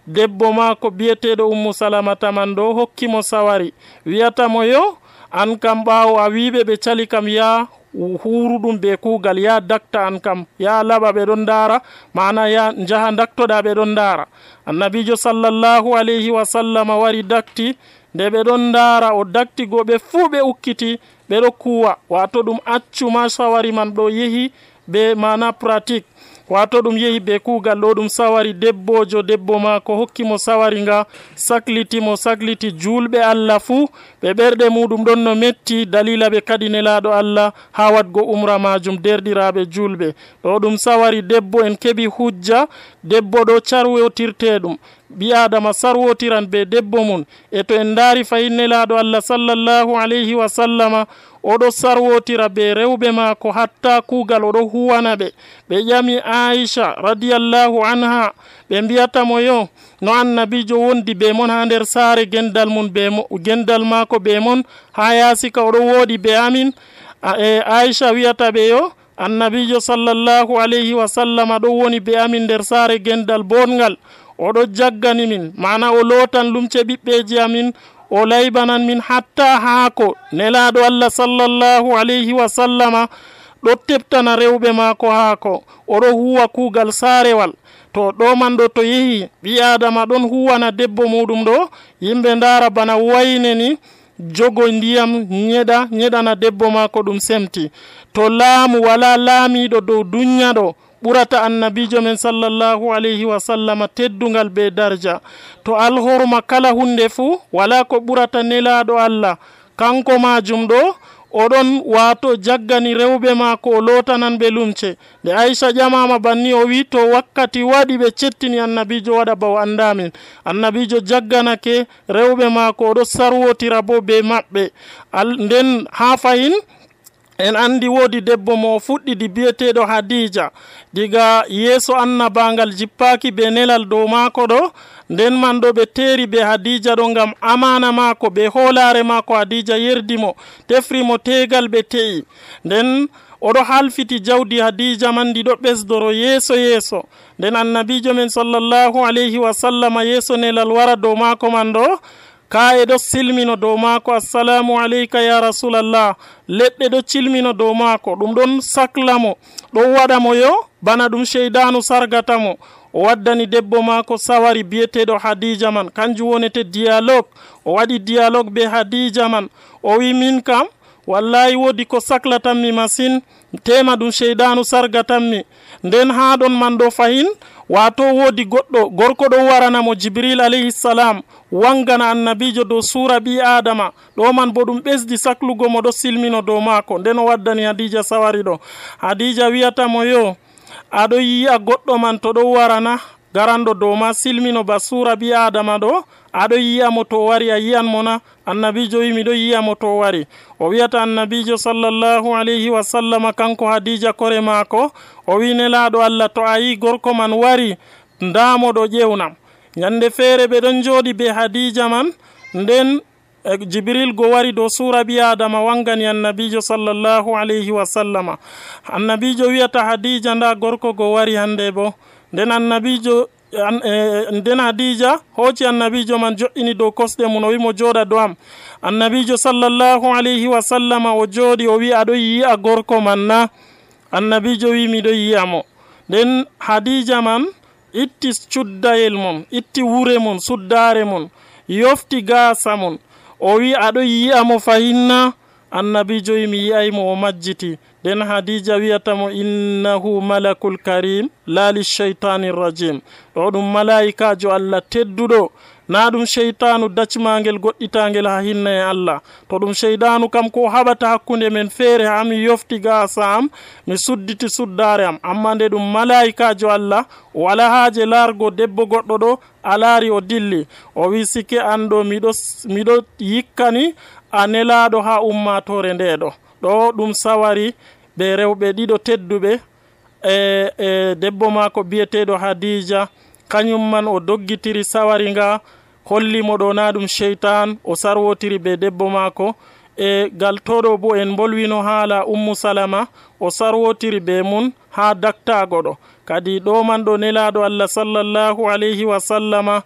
debbo mako biyeteɗo ummu salamata man ɗo hokkimo sawari, wiyatamo yo an kam ɓawo a wiɓe ɓe cali kam ya huruɗum be kugal, ya dakta an kam ya laɓa ɓe ɗon dara, mana ya jaha daktoɗa ɓe ɗon dara. annabijo sallallahu alayhi wa sallama wari dakti, nde ɓe ɗon dara o dakti goɓe fuu ɓe ukkiti ɓe ɗo kuwa, wato ɗum accuma sawari man ɗo yehi be mana pratique. wato ɗum yehi be kuugal ɗo ɗum sawari debbojo debbo maako hokkimo sawari nga saklitimo sakliti julɓe Allah fuu ɓe ɓerɗe muɗum ɗon no metti dalila ɓe kadi nelaɗo Allah ha wadgo umra majum derɗiraɓe julɓe ɗo ɗum sawari debbo en keɓi hujja debbo ɗo carwotirteɗum ɓi adama sarwotiran be debbo mum e to en daari fayin nelaɗo Allah sallallahu alayhi wa sallama oɗo sarwotira be rewɓe maako hatta kuugal oɗo huwana ɓe ɓe ƴami Aisha radiyallahu anha ɓe mbiyatamo yo no annabijo wondi be mon ha nder saare gendal mum be mo gendal maako be mon ha yasika oɗo woodi be amin e Aisha wiyata ɓe yo annabijo sallallahu alayhi wa sallama ɗo woni be amin nder saare gendal bongal oɗo jaggani min mana o lotan lumce ɓiɓɓeji amin o laybanan min hatta haako nelaɗo Allah sallallahu alayhi wa sallama ɗo teptana rewɓe maako haako oɗo huwa kuugal saarewal to ɗo man ɗo to yehi ɓi adama ɗon huwana debbo muɗum ɗo yimɓe ndara bana wayne ni jogo ndiyam ñeɗa ñeɗana debbo maako ɗum semti to laamu wala laamiɗo dow dunya ɗo ɓurata annabijo men sallallahu alayhi wa sallama teddungal be darja to alhorma kala hunde fuu wala ko ɓurata nelaɗo Allah kanko majum ɗo oɗon wato jaggani rewɓe maako o lotanan ɓe lumce nde Aisha ƴamama banni o wi to wakkati waɗi ɓe cettini annabijo waɗa ba o andamin annabijo jagganake rewɓe maako oɗo sarwotira bo be maɓɓe nden ha fayin en andi woodi debbo mo fuɗɗidi biyeteɗo Hadija diga yeeso annabangal jippaki be nelal dow maako ɗo nden man ɗo ɓe teeri be Hadija ɗo ngam amana maako be hoolare maako Hadija yerdimo tefrimo tegal ɓe te'i nden oɗo halfiti jawdi Hadija man ndi ɗo ɓesdoro yeeso yeeso nden annabijo men sallallahu alayhi wa sallama yeeso nelal wara dow maako man ɗo ka e ɗo silmino dow maako assalamu aleyka ya rasulallah leɗɗe ɗo cilmino dow maako ɗum ɗon saklamo ɗo waɗamo yo bana ɗum sheydanu sargatamo o waddani debbo maako sawari biyeteɗo Hadija man kanjum wonete dialogue o waɗi dialogue be Hadija man o wi min kam wallahi woodi ko saklatanmi masine tema ɗum sheydanu sargatanmi nden ha ɗon man ɗo fahin wato woodi goɗɗo gorko ɗo waranamo Jibril alayhi salam wangana annabijo dow sura ɓi adama ɗo man bo ɗum ɓesdi saklugo mo ɗo silmino dow maako nden o waddani Hadija sawari ɗo Hadija wiyatamo yo aɗo yi'a goɗɗo man to ɗo warana garanɗo dow ma silmino ba sura ɓi adama ɗo aɗo yiyamo to wari a yiyan mona annabijo wi miɗo yiyamo to wari o wiyata annabijo sallallahu alayhi wa sallama kanko Hadija kore maako o wi nelaɗo Allah to a yi gorko man wari ndamoɗo ƴewnam ñande feere ɓe ɗon jooɗi be Hadija man nden Jibril go wari dow sura ɓi adama wangani annabijo sallallahu alayhi wa sallama annabijo wiyata Hadija nda gorko go wari hande bo nden annabijo nden Hadija hooci annabijo man jo'ini dow kosɗe mum o wimo jooɗa dow am annabijo sallallahu alayhi wa sallama o jooɗi o wi aɗo yi'a gorko man na annabijo wi miɗo yiyamo nden Hadija man itti cuddayel mum itti wure mum suddare mum yofti gaasa mum o wi aɗo yiyamo fahinna annabijo wi mi yiyaymo o majjiti nden Hadija wiyatamo innahu malakul karim la li shaytanir rajim ɗo ɗum malaikajo Allah tedduɗo na ɗum sheytanu dacmangel goɗɗitangel ha hinna e Allah to ɗum sheydanu kam ko haɓata hakkunde men feere ha mi yofti gaasa am mi sudditi suddare am amma nde ɗum malaikajo Allah wala haaje largo debbo goɗɗo ɗo a laari o dilli o wi sike an ɗo miɗo miɗo yikkani a nelaɗo ha ummatore ndeɗo ɗo ɗum sawari ɓe rewɓe ɗiɗo tedduɓe e e debbo maako biyeteɗo Hadija kañum man o doggitiri sawari nga hollimo ɗo na ɗum sheytan o sarwotiri be debbo maako e gal toɗo bo en bolwino haala ummu salama o sarwotiri be mun ha daktago ɗo kadi ɗo man ɗo nelaɗo Allah sallallahu alayhi wa sallama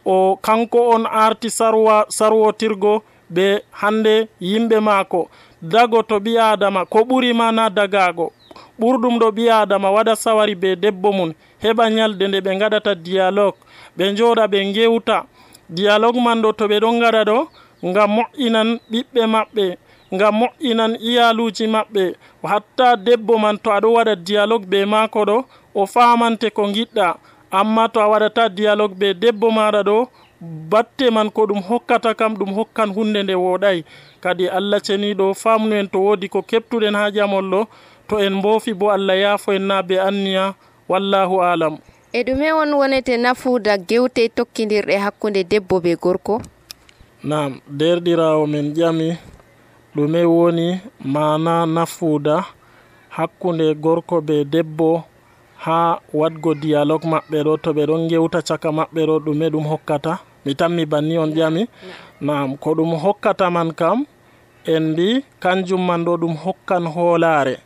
o kanko on arti sarwa sarwotirgo be hande yimɓe maako dago to ɓi adama ko ɓuri mana dagago ɓurɗum ɗo ɓi adama waɗa sawari be debbo mum heɓa nyalde nde ɓe gaɗata dialogue ɓe jooɗa ɓe gewta dialogue man ɗo to ɓe ɗon gaɗa ɗo ngam moƴƴinan ɓiɓɓe maɓɓe ngam moƴƴinan iyaluji maɓɓe. Hatta debbo man to aɗo waɗa dialogue be maako ɗo o famante ko giɗɗa, amma to a waɗata dialogue be debbo maɗa ɗo batte man ko ɗum hokkata kam ɗum hokkan hunde nde woɗai. Kadi Allah ceniɗo famnu en to wodi ko keptuɗen ha jamol ɗo, to en mboofi bo Allah yaafo en na be anniya. Wallahu alam. E ɗume on wonete nafuuda gewte tokkidirɗe hakkunde debbo be gorko? Nam, derɗirawo men ƴami ɗume woni mana nafuuda hakkunde gorko be debbo ha wadgo dialogue maɓɓe ɗo to ɓe ɗon gewta caka maɓɓe ɗo, ɗume ɗum hokkata? Mi tammi banni on ƴami. Nam, ko ɗum hokkata man kam en mbi kanjum man ɗo ɗum hokkan hoolare,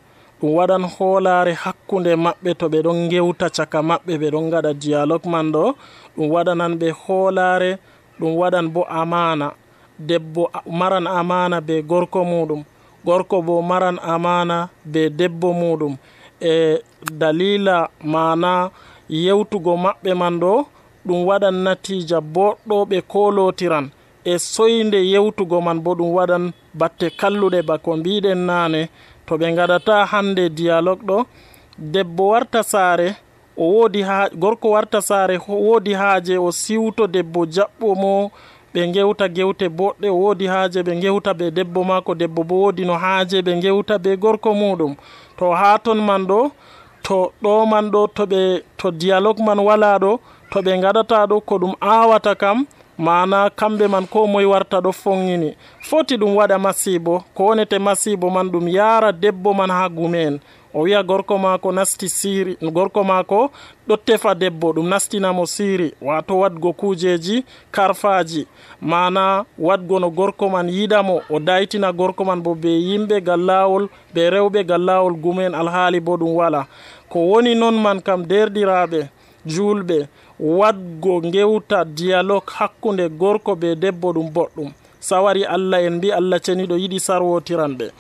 ɗum waɗan hoolare hakkunde maɓɓe to ɓe ɗon gewta caka maɓɓe ɓe ɗon gaɗa dialogue man ɗo, ɗum waɗanan ɓe hoolare, ɗum waɗan bo amana. Debbo maran amana be gorko muɗum, gorko bo maran amana be debbo muɗum. E dalila mana yewtugo maɓɓe man ɗo ɗum waɗan natija boɗɗo ɓe kolotiran. E soyde yewtugo man bo ɗum waɗan batte kalluɗe bako mbiɗen nane. To ɓe gaɗata hande dialogue ɗo, debbo warta saare o wodi ha gorko warta saare wodi haaje o siwto debbo jaɓɓo mo, ɓe gewta gewte boɗɗe, o wodi haaje ɓe gewta be debbo mako, debbo bo wodi no haaje ɓe gewta be gorko muɗum. To ha ton man ɗo, to ɗo man ɗo to ɓe to dialogue man wala ɗo, to ɓe gaɗata ɗo ko ɗum awata kam mana kamɓe man ko moye warta ɗo fongini. Foti ɗum waɗa masibo, ko wonete masibo man ɗum yara debbo man ha gumen, o wiya gorko mako nasti siri, gorko mako ɗo tefa debbo, ɗum nastinamo siri, wato wadgo kujeji karfaji, mana wadgo no gorko man yidamo, o daytina gorko man bo be yimɓe gallawol be rewɓe gallawol gumen, alhaali bo ɗum wala. Ko woni non man kam derɗiraɓe julɓe, wadgo gewta dialogue hakkunde gorko be debbo ɗum boɗɗum. Sawari Allah en mbi Allah ceniɗo yiɗi sarwotiranɓe.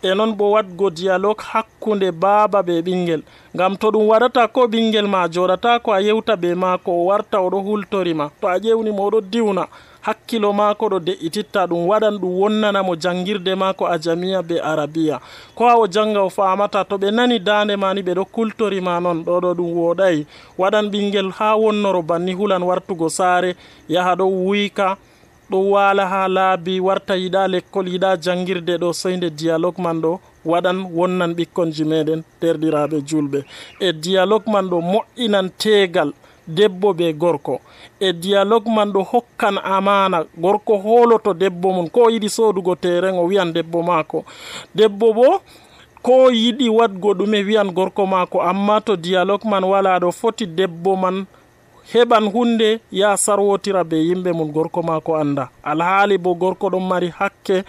E non bo wadgo dialogue hakkunde baaba be ɓingel, ngam to ɗum waɗata ko ɓingel ma joɗata ko a yewta be maako o warta oɗo hultorima, to a ƴewnimo oɗo diwna, hakkilo maako ɗo de'ititta, ɗum waɗan ɗum wonnanamo jangirde maako a jamiya be arabiya, ko ha o janga o famata. To ɓe nani dande mani ɓe ɗo kultorima non, ɗo ɗo ɗum woɗai. Waɗan ɓingel ha wonnoro banni hulan wartugo saare, yaha ɗo wuyka, ɗo wala ha laabi, warta yiɗa lekkol, yiɗa jangirde ɗo, soyde dialogue man ɗo waɗan wonnan ɓikkonji meɗen derɗiraɓe julɓe. E dialogue man ɗo moƴƴinan tegal debbo be gorko. E dialogue man ɗo hokkan amana, gorko holoto debbo mum, ko yiɗi sodugo teren o wiyan debbo mako, debbo bo ko yiɗi wadgo ɗume wiyan gorko mako. Amma to dialogue man wala ɗo, foti debbo man heɓan hunde ya sarwotira be yimɓe mum gorko mako anda, alhaali bo gorko ɗon mari hakke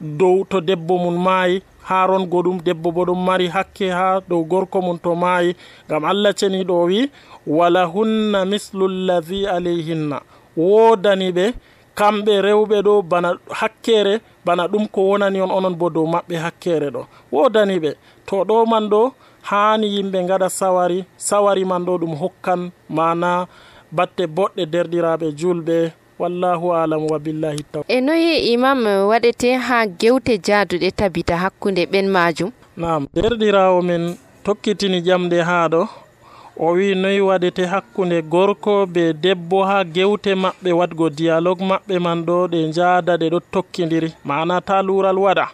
dow to debbo mum maayi, ha rongo ɗum debbo bo ɗon mari hakke ha dow gorko mum to maayi, ngam Allah ceniɗo wi wala hunna mislu llahi alayhinna, wodani ɓe kamɓe rewɓe ɗo bana hakkere, bana ɗum ko wonani on onon bo dow maɓɓe hakkere ɗo wodani ɓe. To ɗo man ɗo hani yimɓe gaɗa sawari, sawari man ɗo ɗum hokkan mana batte boɗɗe derɗiraɓe julɓe. Wallahu alam wa billahi taw. E noyi imam waɗete ha gewte jaaduɗe tabita hakkunde ɓen majum? Naam, derɗirawo men tokkitini jamde ha ɗo, o wi noyi waɗete hakkunde gorko be debbo ha gewte maɓɓe wadgo dialogue maɓɓe man ɗo ɗe jaada ɗe ɗo tokkidiri, mana ta lural waɗa.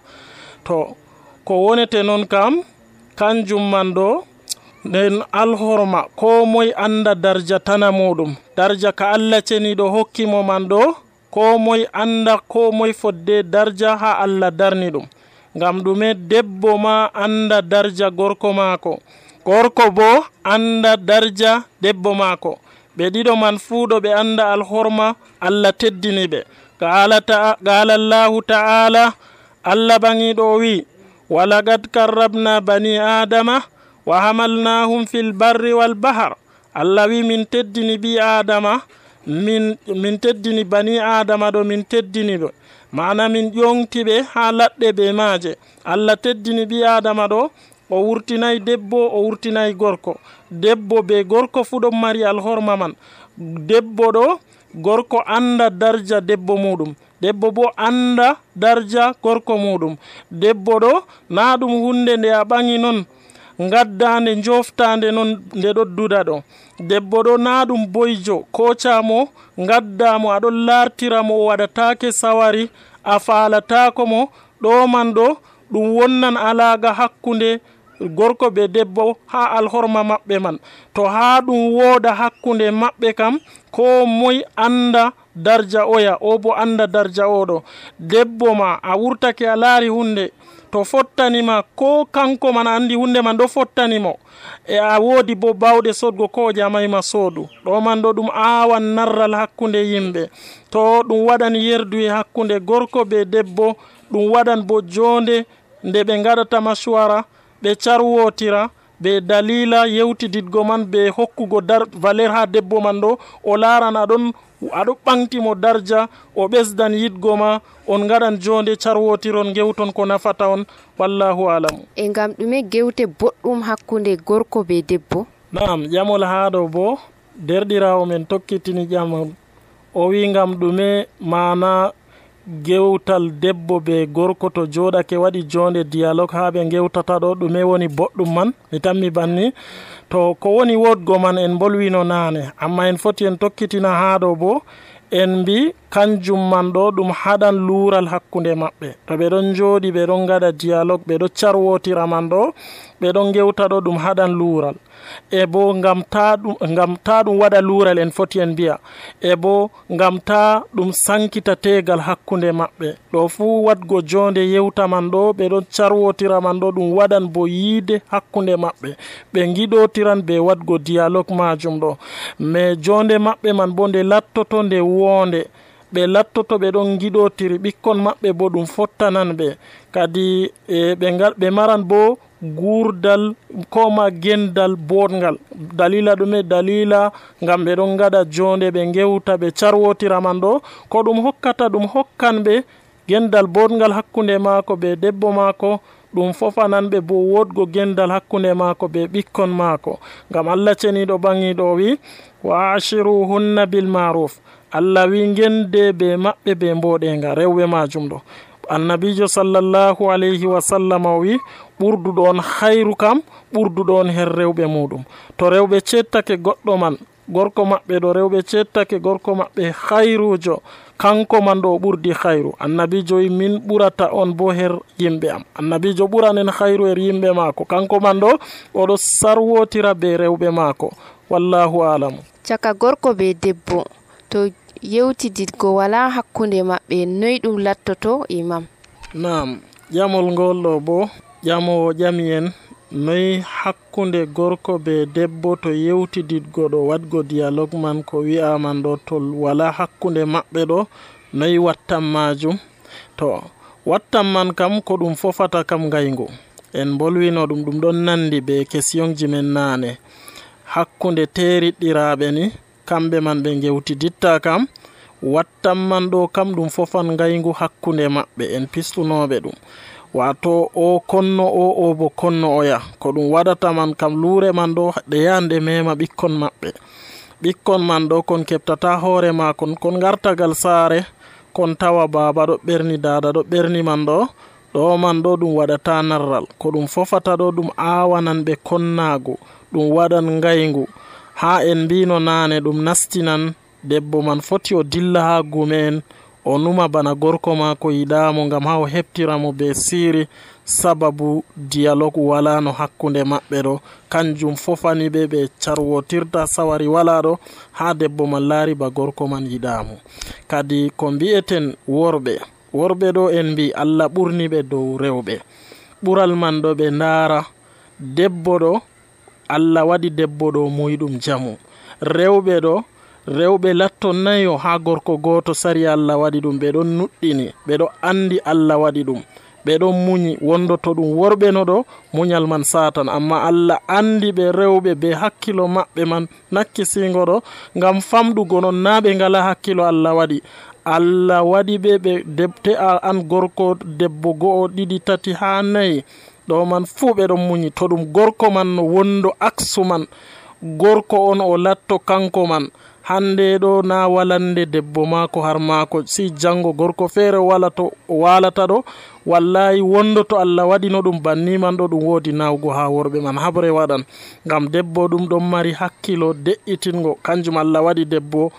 To ko wonete non kam kanjum man ɗo nden alhorma, ko moye anda darja tana muɗum, darja ka Allah ceniɗo hokkimo man ɗo, ko moye anda ko moye fodde darja ha Allah darni ɗum. Ngam ɗume? Debbo ma anda darja gorko mako, gorko bo anda darja debbo mako, ɓe ɗiɗo man fuu ɗo ɓe anda alhorma Allah teddini ɓe. Qala Allahu ta'ala, Allah bangiɗo wi walaqad karrabna bani adama wa hamalnahum fil barri wal bahar. Allah wi min teddini bi adama, min min teddini bani adama ɗo, min teddini ɓe, mana min ƴontiɓe ha laɗɗe be maaje. Allah teddini bi adama ɗo, o wurtinayi debbo, o wurtinayi gorko. Debbo be gorko fu ɗon mari alhorma man. Debbo ɗo gorko anda darja debbo muɗum, debbo bo anda darja gorko muɗum. Debbo ɗo na ɗum hunde nde a ɓangi non gaddande joftande non nde ɗo duda ɗo. Debbo ɗo na ɗum boyjo kocamo gaddamo aɗon lartiramo o waɗatake sawari a falatako mo. ɗo man ɗo ɗum wonnan alaga hakkunde gorko be debbo ha alhorma maɓɓe man. To ha ɗum woda hakkunde maɓɓe kam ko moy anda darja oya o bo anda darja oɗo. Debbo ma a wurtake a laari hunde to fottanima ko kanko man andi hunde man ɗo fottanimo e a wodi bo bawɗe sodgo ko jamayma soodu. ɗo man ɗo ɗum awan narral hakkunde yimɓe. To ɗum waɗan yerdu e hakkunde gorko be debbo, ɗum waɗan bo jonde nde ɓe gaɗata masuwara ɓe carwotira be dalila yewtididgo man be hokkugo dar valer ha debbo man ɗo o laran aɗon aɗo ɓantimo darja o ɓesdan yidgo ma on gaɗan jonde carwotiron gewton ko nafata on. wallahu alamu. E ngam ɗume gewte boɗɗum hakkunde gorko be debbo? Naam, ƴamol haɗo bo derɗirawo men tokkitini ƴamol o wi ngam ɗume mana gewtal debbo be gorko to joɗake waɗi jonde dialogue ha ɓe gewtata ɗo ɗume woni boɗɗum man. Mi tammi banni to ko woni wodgo man en bolwino nane, amma en foti en tokkitina haɗo bo en mbi kanjum man ɗo ɗum haɗan lural hakkunde maɓɓe. To ɓe ɗon joɗi ɓe ɗon gaɗa dialogue ɓe ɗo carwotira man ɗo ɓe ɗon gewta ɗo ɗum haɗan lural. E bo ngam ta ɗum ngam ta ɗum waɗa lural en foti en mbiya e bo ngam ta ɗum sankita tegal hakkunde maɓɓe. ɗo fuu wadgo jonde yewta man ɗo ɓe ɗon carwotira man ɗo ɗum waɗan bo yiide hakkunde maɓɓe ɓe giɗotiran be wadgo dialogue majum ɗo. mais jonde maɓɓe man bo nde lattoto nde wonde ɓe lattoto ɓe ɗon giɗotiri ɓikkon maɓɓe bo ɗum fottanan ɓe kadi e ɓe ngal ɓe maran bo gurdal koma gendal bodgal. dalila ɗume dalila ngam ɓe ɗon gaɗa jonde ɓe gewta ɓe carwotira man ɗo ko ɗum hokkata ɗum hokkan ɓe gendal bodgal hakkunde maako be debbo maako. ɗum fofanan ɓe bo wodgo gendal hakkunde maako be ɓikkon maako. ngam Allah ceniɗo ɓangiɗo wi wa ashiruhunna bil maruf. Allah wi gende be maɓɓe be mboɗenga rewɓe majum ɗo. annabijo sallallahu alayhi wa sallam o wi ɓurduɗo on hayru kam ɓurduɗo on her rewɓe muɗum. to rewɓe cettake goɗɗo man gorko maɓɓe ɗo rewɓe cettake gorko maɓɓe hayrujo kanko man ɗo ɓurdi hayru. annabijo wi min ɓurata on bo her yimɓe am. annabijo ɓuranen hayru her yimɓe maako kanko man ɗo oɗo sarwotira be rewɓe maako. wallahu alamu. caka gorko be debbo to yewtididgo wala hakkunde maɓɓe noy ɗum lattoto imam? Naam, ƴamol ngol ɗo bo ƴamowo ƴami en noy hakkunde gorko be debbo to yewtididgo ɗo wadgo dialogue man ko wi'a man ɗo to wala hakkunde maɓɓe ɗo noy wattan majum. to wattan man kam ko ɗum fofata kam ngaygu en bolwino ɗum ɗum ɗon nandi be question ji men nane. hakkunde teriɗɗiraɓe ni kamɓe man ɓe gewtiditta kam wattan man ɗo kam ɗum fofan ngaygu hakkunde maɓɓe en pistunoɓe ɗum. wato o konno o o bo konno oya ko ɗum waɗata man kam luure man ɗo ɗe yande mema ɓikkon maɓɓe. ɓikkon man ɗo kon keɓtata hoore ma kon kon gartagal saare kon tawa baba ɗo ɓerni dada ɗo ɓerni man ɗo ɗo man ɗo ɗum waɗata narral ko ɗum fofata ɗo ɗum awanan ɓe konnagu ɗum waɗan ngaygu. ha en mbino nane ɗum nastinan debbo man foti o dilla ha gumen o numa bana gorko mako yiɗamo ngam ha o heɓtiramo be siri sababu dialogue wala no hakkunde maɓɓe ɗo kanjum fofani ɓe ɓe carwotirta sawari wala ɗo ha debbo man laari ba gorko man yiɗamo. kadi ko mbi'eten worɓe worɓe ɗo en mbi Allah ɓurni ɓe dow rewɓe. ɓural man ɗo ɓe ndaara debbo ɗo Allah waɗi debbo ɗo muyɗum jamu. rewɓe ɗo rewɓe latto nayo ha gorko goto sari Allah waɗi ɗum ɓe ɗon nuɗɗini ɓe ɗo andi Allah waɗi ɗum ɓe ɗon muñi wondoto ɗum worɓe no ɗo muñal man satan amma Allah andi ɓe rewɓe be hakkilo maɓɓe man nakkisigo ɗo ngam famɗugo non na ɓe ngala hakkilo Allah waɗi. Allah waɗi ɓe ɓe debte an gorko debbo go'o ɗiɗi tati ha nayi ɗo man fuu ɓe ɗon muñi. to ɗum gorko man no wondo aksu man gorko on o latto kanko man hande ɗo na walande debbo maako har maako, si jango gorko feere wala to walata ɗo wallahi wondo to Allah waɗino ɗum banni man ɗo ɗum woodi nawgo ha worɓe man habre waɗan, ngam debbo ɗum ɗon mari hakkilo de'itingo. Kanjum Allah waɗi debbo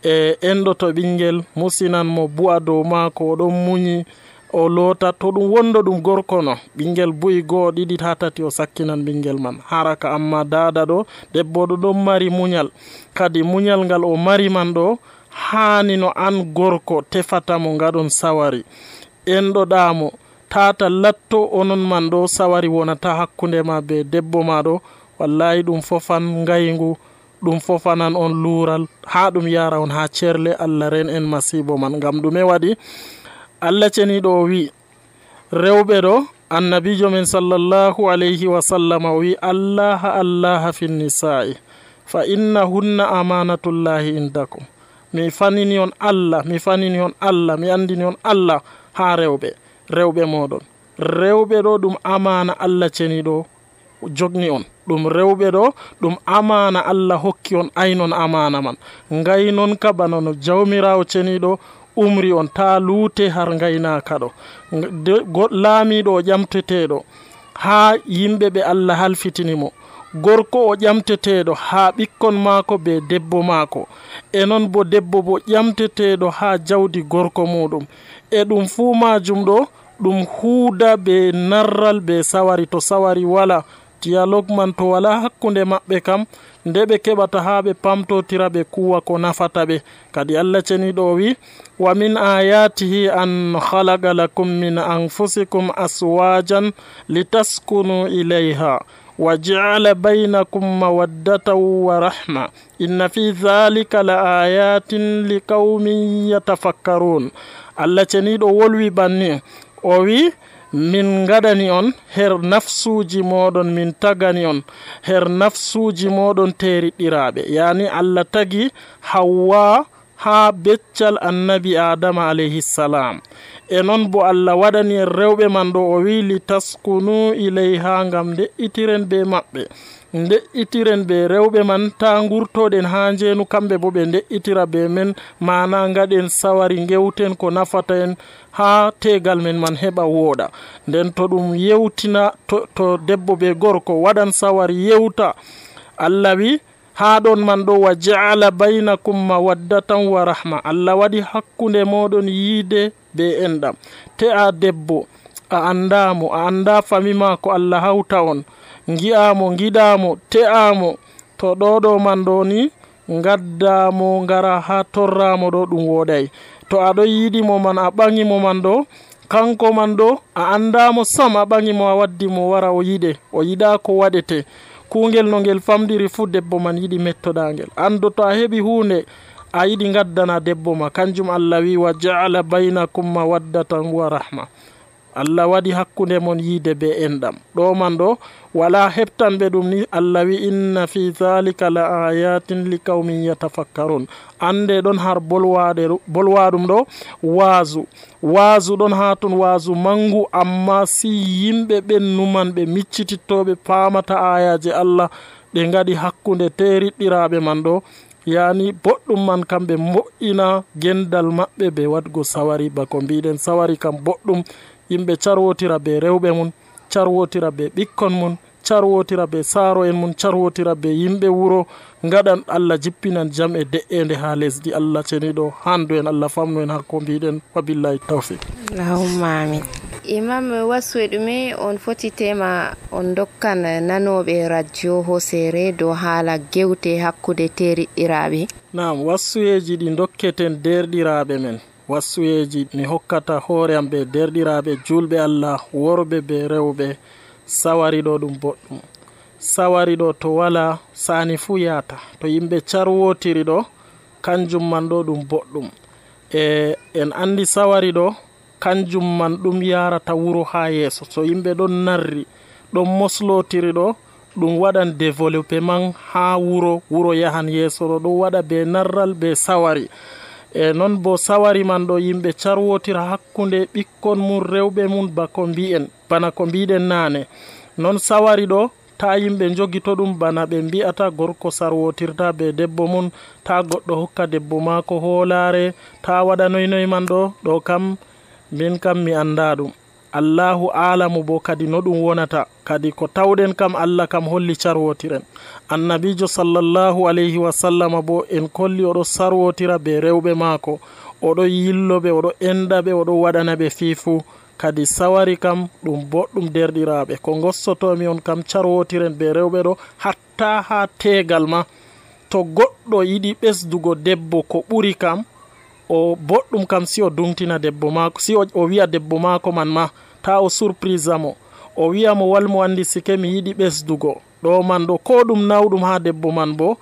e enɗo to ɓingel musinan mo bu'a dow maako, o ɗon muñi o loota. To ɗum wondo ɗum gorko no ɓingel bu'i go'o ɗiɗi ha tati o sakkinan ɓingel man haraka. Amma dada ɗo debbo ɗo ɗon mari muñal, kadi muñal ngal o mari man ɗo hani no an gorko tefata mo ngaɗon sawari enɗo ɗamo tata latto onon man ɗo sawari wonata hakkunde ma be debbo ma ɗo. Wallahi ɗum fofan ngaygu, ɗum fofanan on lural ha ɗum yara on ha cerle. Allah ren en masibo man. Ngam ɗume waɗi? Allah ceniɗo o wi rewɓe ɗo, annabijo men sallallahu alayhi wa sallam o wi allaha allaha fin nisa'i fa innahunna amanatullahi indakum. Mi fanini on Allah, mi fanini on Allah, mi andini on Allah ha rewɓe rewɓe moɗon. Rewɓe ɗo ɗum amana Allah ceniɗo jogni on. Ɗum rewɓe ɗo ɗum amana Allah hokki on, aynon amana man. Ngaynon ka bana no jawmirawo ceniɗo umri on, ta luute har ngaynaka ɗo. Laamiɗo o ƴamteteɗo ha yimɓe ɓe Allah halfitinimo, gorko o ƴamteteɗo ha ɓikkon maako be debbo maako, e non bo debbo bo ƴamteteɗo ha jawdi gorko muɗum. E ɗum fuu majum ɗo ɗum huuda be narral be sawari. To sawari wala, dialogue man to wala hakkunde maɓɓe kam, nde ɓe keɓata ha ɓe pamtotira ɓe kuwa ko nafata ɓe. Kadi Allah ceniɗo wi wa min ayatihi an khalaqa lakum min anfusikum aswajan litaskunu ilayha wa ja'ala baynakum mawaddatan wa rahma inna fi dhalika la ayatin liqaumin yatafakkarun. Allah ceniɗo wolwi banni, o wi min gadani on her nafsuji moɗon, min tagani on her nafsuji moɗon teriɗiraɓe. Yani Allah tagi Hawwa ha beccal annabi Adama alayhi salam, e non bo Allah waɗani en rewɓe man ɗo o wi li taskunu ilayha, ngam de'itiren be maɓɓe, de'itiren be rewɓe man, ta gurtoɗen ha njenu kamɓe bo ɓe de'itira be men, mana gaɗen sawari gewten ko nafata en ha tegal men man heɓa wooɗa. Nden to ɗum yewtina to, to debbo be gorko waɗan sawari yewta, Allah wi ha ɗon man ɗo wa ja'ala baynakum mawaddatan wa rahma. Allah waɗi hakkunde moɗon yiide be enɗam. Te a debbo a andamo, a anda fami mako, Allah hawta on, gi'amo giɗamo, te'amo, to ɗo ɗo man ɗo ni gaddamo ngara ha torramo ɗo ɗum woɗay. To aɗo yiɗimo man, a ɓaŋimo man ɗo, kanko man ɗo a andamo sam, a ɓaŋimo a waddimo wara o yiɗe, o yiɗa ko waɗete. Kungel no ngel famdiri fu debbo man yiɗi mettoɗangel. Ando to a heɓi hunde a yiɗi gaddana debbo ma. Kanjum Allah wi wa ja'ala baynakum mawaddatan wa rahma. Allah waɗi hakkunde mon yiide be enɗam. Ɗo man ɗo wala heɓtanɓe ɗum ni. Allah wi inna fi dhalika la ayatin li qaumin yatafakkarun. Ande ɗon har bolwaɗe bolwaɗum ɗo waazu waazu ɗon ha ton, waazu mangu, amma si yimɓe ɓen numan ɓe miccitittoɓe pamata ayaje Allah ɓe ngaɗi hakkunde teriɗɗiraɓe man ɗo, yani boɗɗum man kamɓe moƴƴina gendal maɓɓe be waɗgo sawari. Bako mbiɗen sawari kam boɗɗum, yimɓe carwotira be rewɓe mum, carwotira be ɓikkon mum, carwotira be saaro en mum, carwotira be yimɓe wuro, ngaɗan Allah jippinan jam e de'ende ha lesdi. Allah ceniɗo handu en, Allah famnu en hakko mbiɗen. Wabillahi tawfiq. Allahumma amin. Imam wasu ɗume on foti tema on dokkan nanoɓe radio hosere dow haala gewte hakkude teriɗɗiraɓe? Naam, wasuyeji ɗi dokketen derɗiraɓe men, wasuyeji mi hokkata hoore am be derɗiraɓe julɓe Allah, worɓe be rewɓe. Sawari ɗo ɗum boɗɗum. Sawari ɗo to wala sani fu yata. To yimɓe carwotiri ɗo, kanjum man ɗo ɗum boɗɗum. E en andi sawari ɗo kanjum man ɗum yarata wuro ha yeeso. So yimɓe ɗon narri ɗon moslotiri ɗo, ɗum waɗan développement ha wuro, wuro yahan yeeso ɗo, ɗum waɗa be narral be sawari. E non bo sawari man ɗo yimɓe carwotira hakkunde ɓikkon mum, rewɓe mum, bako mbi'en bana ko mbiɗen nane. Non sawari ɗo ta yimɓe jogito ɗum bana ɓe mbi'ata gorko sarwotirta be debbo mum, ta goɗɗo hokka debbo maako hoolare, ta waɗa noynoy man ɗo ɗo kam min kam mi anda ɗum. Allahu alamu bo kadi no ɗum wonata, kadi ko tawɗen kam Allah kam holli carwotiren. Annabijo sallallahu alayhi wa sallama bo en kolli oɗo sarwotira be rewɓe maako, oɗo yilloɓe, oɗo endaɓe, oɗo waɗana ɓe fiifu. Kadi sawari kam ɗum boɗɗum derɗiraɓe, ko gossotomi on kam carwotiren be rewɓe ɗo, hatta ha tegal ma. To goɗɗo yiɗi ɓesdugo debbo ko ɓuri kam, o boɗɗum kam si o dumtina debbo maako, si o, o wi'a debbo maako man ma, ta o surprise mo, o wi'a mo walmo andi sike mi yiɗi ɓesdugo ɗo man ɗo, ko ɗum nawɗum ha debbo man bo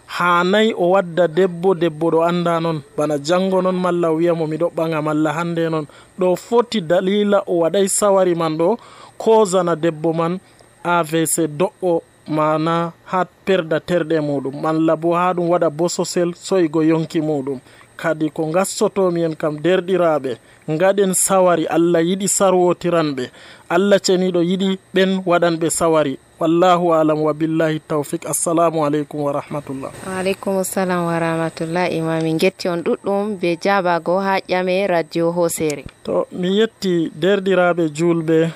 hanayi o wadda debbo debbo ɗo anda non, bana jango non malla o wi'a mo miɗo ɓaŋa malla hande non. ɗo foti dalila o waɗay sawari man ɗo kozana debbo man A V C do'o, mana ha perda terɗe muɗum, malla bo ha ɗum waɗa bososel soygo yonki muɗum. Kadi ko gassotomi en kam derɗiraɓe, ngaɗen sawari. Allah yiɗi sarwotiranɓe, Allah ceniɗo yiɗi ɓen waɗanɓe sawari. Wallahu alam wa billahi tawfiq. Assalamu alaikum wa rahmatullah. Wa alaikum assalam wa rahmatullah. Imami getti on ɗuɗɗum be jabago ha ƴame radio Hosere. To mi yetti derɗiraɓe julɓe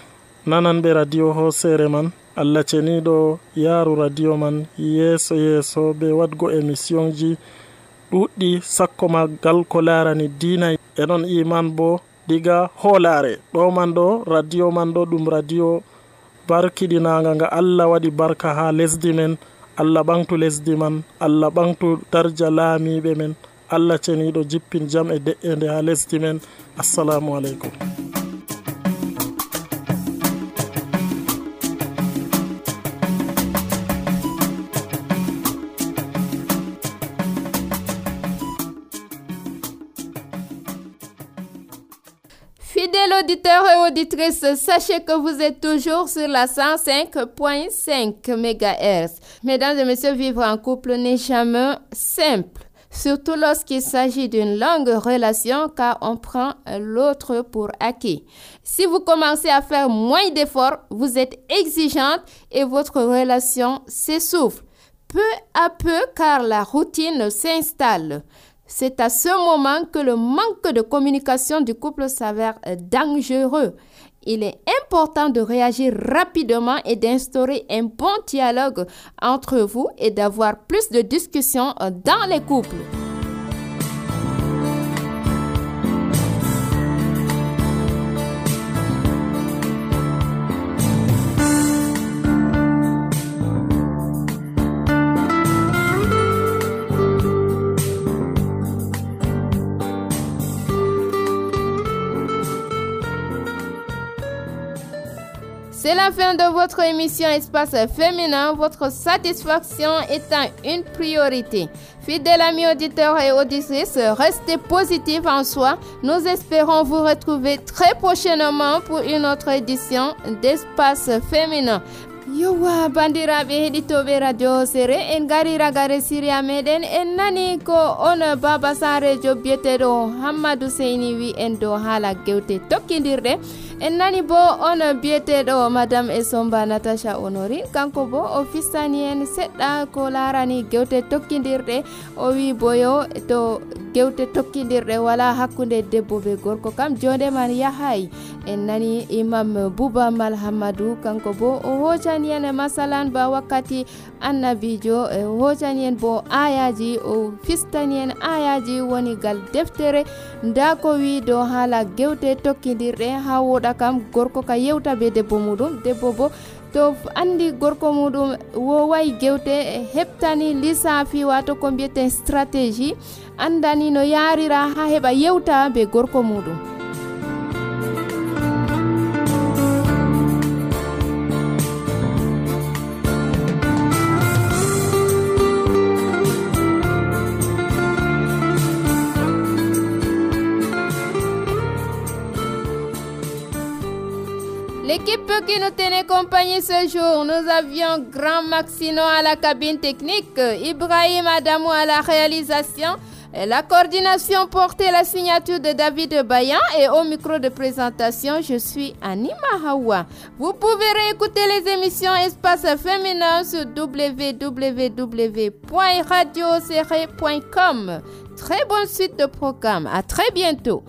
nananɓe radio Hosere man, Allah ceniɗo yaru radio man yeso yeso be wadgo émission ji ɗuɗɗi sakko magal ko larani dina e non iman bo diga hoolare. Ɗo man ɗo radio man ɗo ɗum radio barkiɗinaga nga Allah waɗi barka ha lesdi men. Allah ɓangtu lesdi man, Allah ɓangtu darja laamiɓe men, Allah ceniɗo jippin jam e de'ende ha lesdi men. Assalamu aleykum. Fidèles auditeurs et auditrices, sachez que vous êtes toujours sur la cent cinq virgule cinq mégahertz. Mesdames et messieurs, vivre en couple n'est jamais simple, surtout lorsqu'il s'agit d'une longue relation, car on prend l'autre pour acquis. Si vous commencez à faire moins d'efforts, vous êtes exigeante et votre relation s'essouffle peu à peu car la routine s'installe. C'est à ce moment que le manque de communication du couple s'avère dangereux. Il est important de réagir rapidement et d'instaurer un bon dialogue entre vous et d'avoir plus de discussions dans les couples. C'est la fin de votre émission Espace Féminin, votre satisfaction étant une priorité. Fidèles amis auditeurs et auditrices, restez positifs en soi. Nous espérons vous retrouver très prochainement pour une autre édition d'Espace Féminin. Yowa bandiraɓe heɗitoɓe radio Sere en gari ragare siriya meɗen en nani ko on baba sarejo biyeteɗo Hammadou Seyni wi en dow haala gewte tokkidirɗe. En nani bo on biyeteɗo madame Esomba Natasha Honori, kanko bo o fistani en seɗɗa ko larani gewte tokkidirɗe. O wi boyo to gewte tokkidirɗe wala hakkunde debbo be gorko kam jonde man yahay. En nani imam Bouba Mal Hammadou, kanko bo o hocani en masalan ba wakkati annabijo e hocani en bo ayaji, o fistani en ayaji woni gal deftere nda ko wi do haala gewte tokkidirɗe ha woɗa kam gorko ka yewta be debbo muɗum, debbo bo to andi gorko muɗum woway gewte heɓtani lissafi wato ko mbiyeten stratégie, andani no yarira ha heɓa yewta be gorko muɗum. L'équipe qui nous tenait compagnie ce jour, nous avions Grand Maxino à la cabine technique, Ibrahim Adamou à la réalisation, La coordination portait la signature de David Bayan et au micro de présentation, je suis Anima Hawa. Vous pouvez réécouter les émissions Espace Féminin sur w w w point radio serré point com. Très bonne suite de programme. À très bientôt.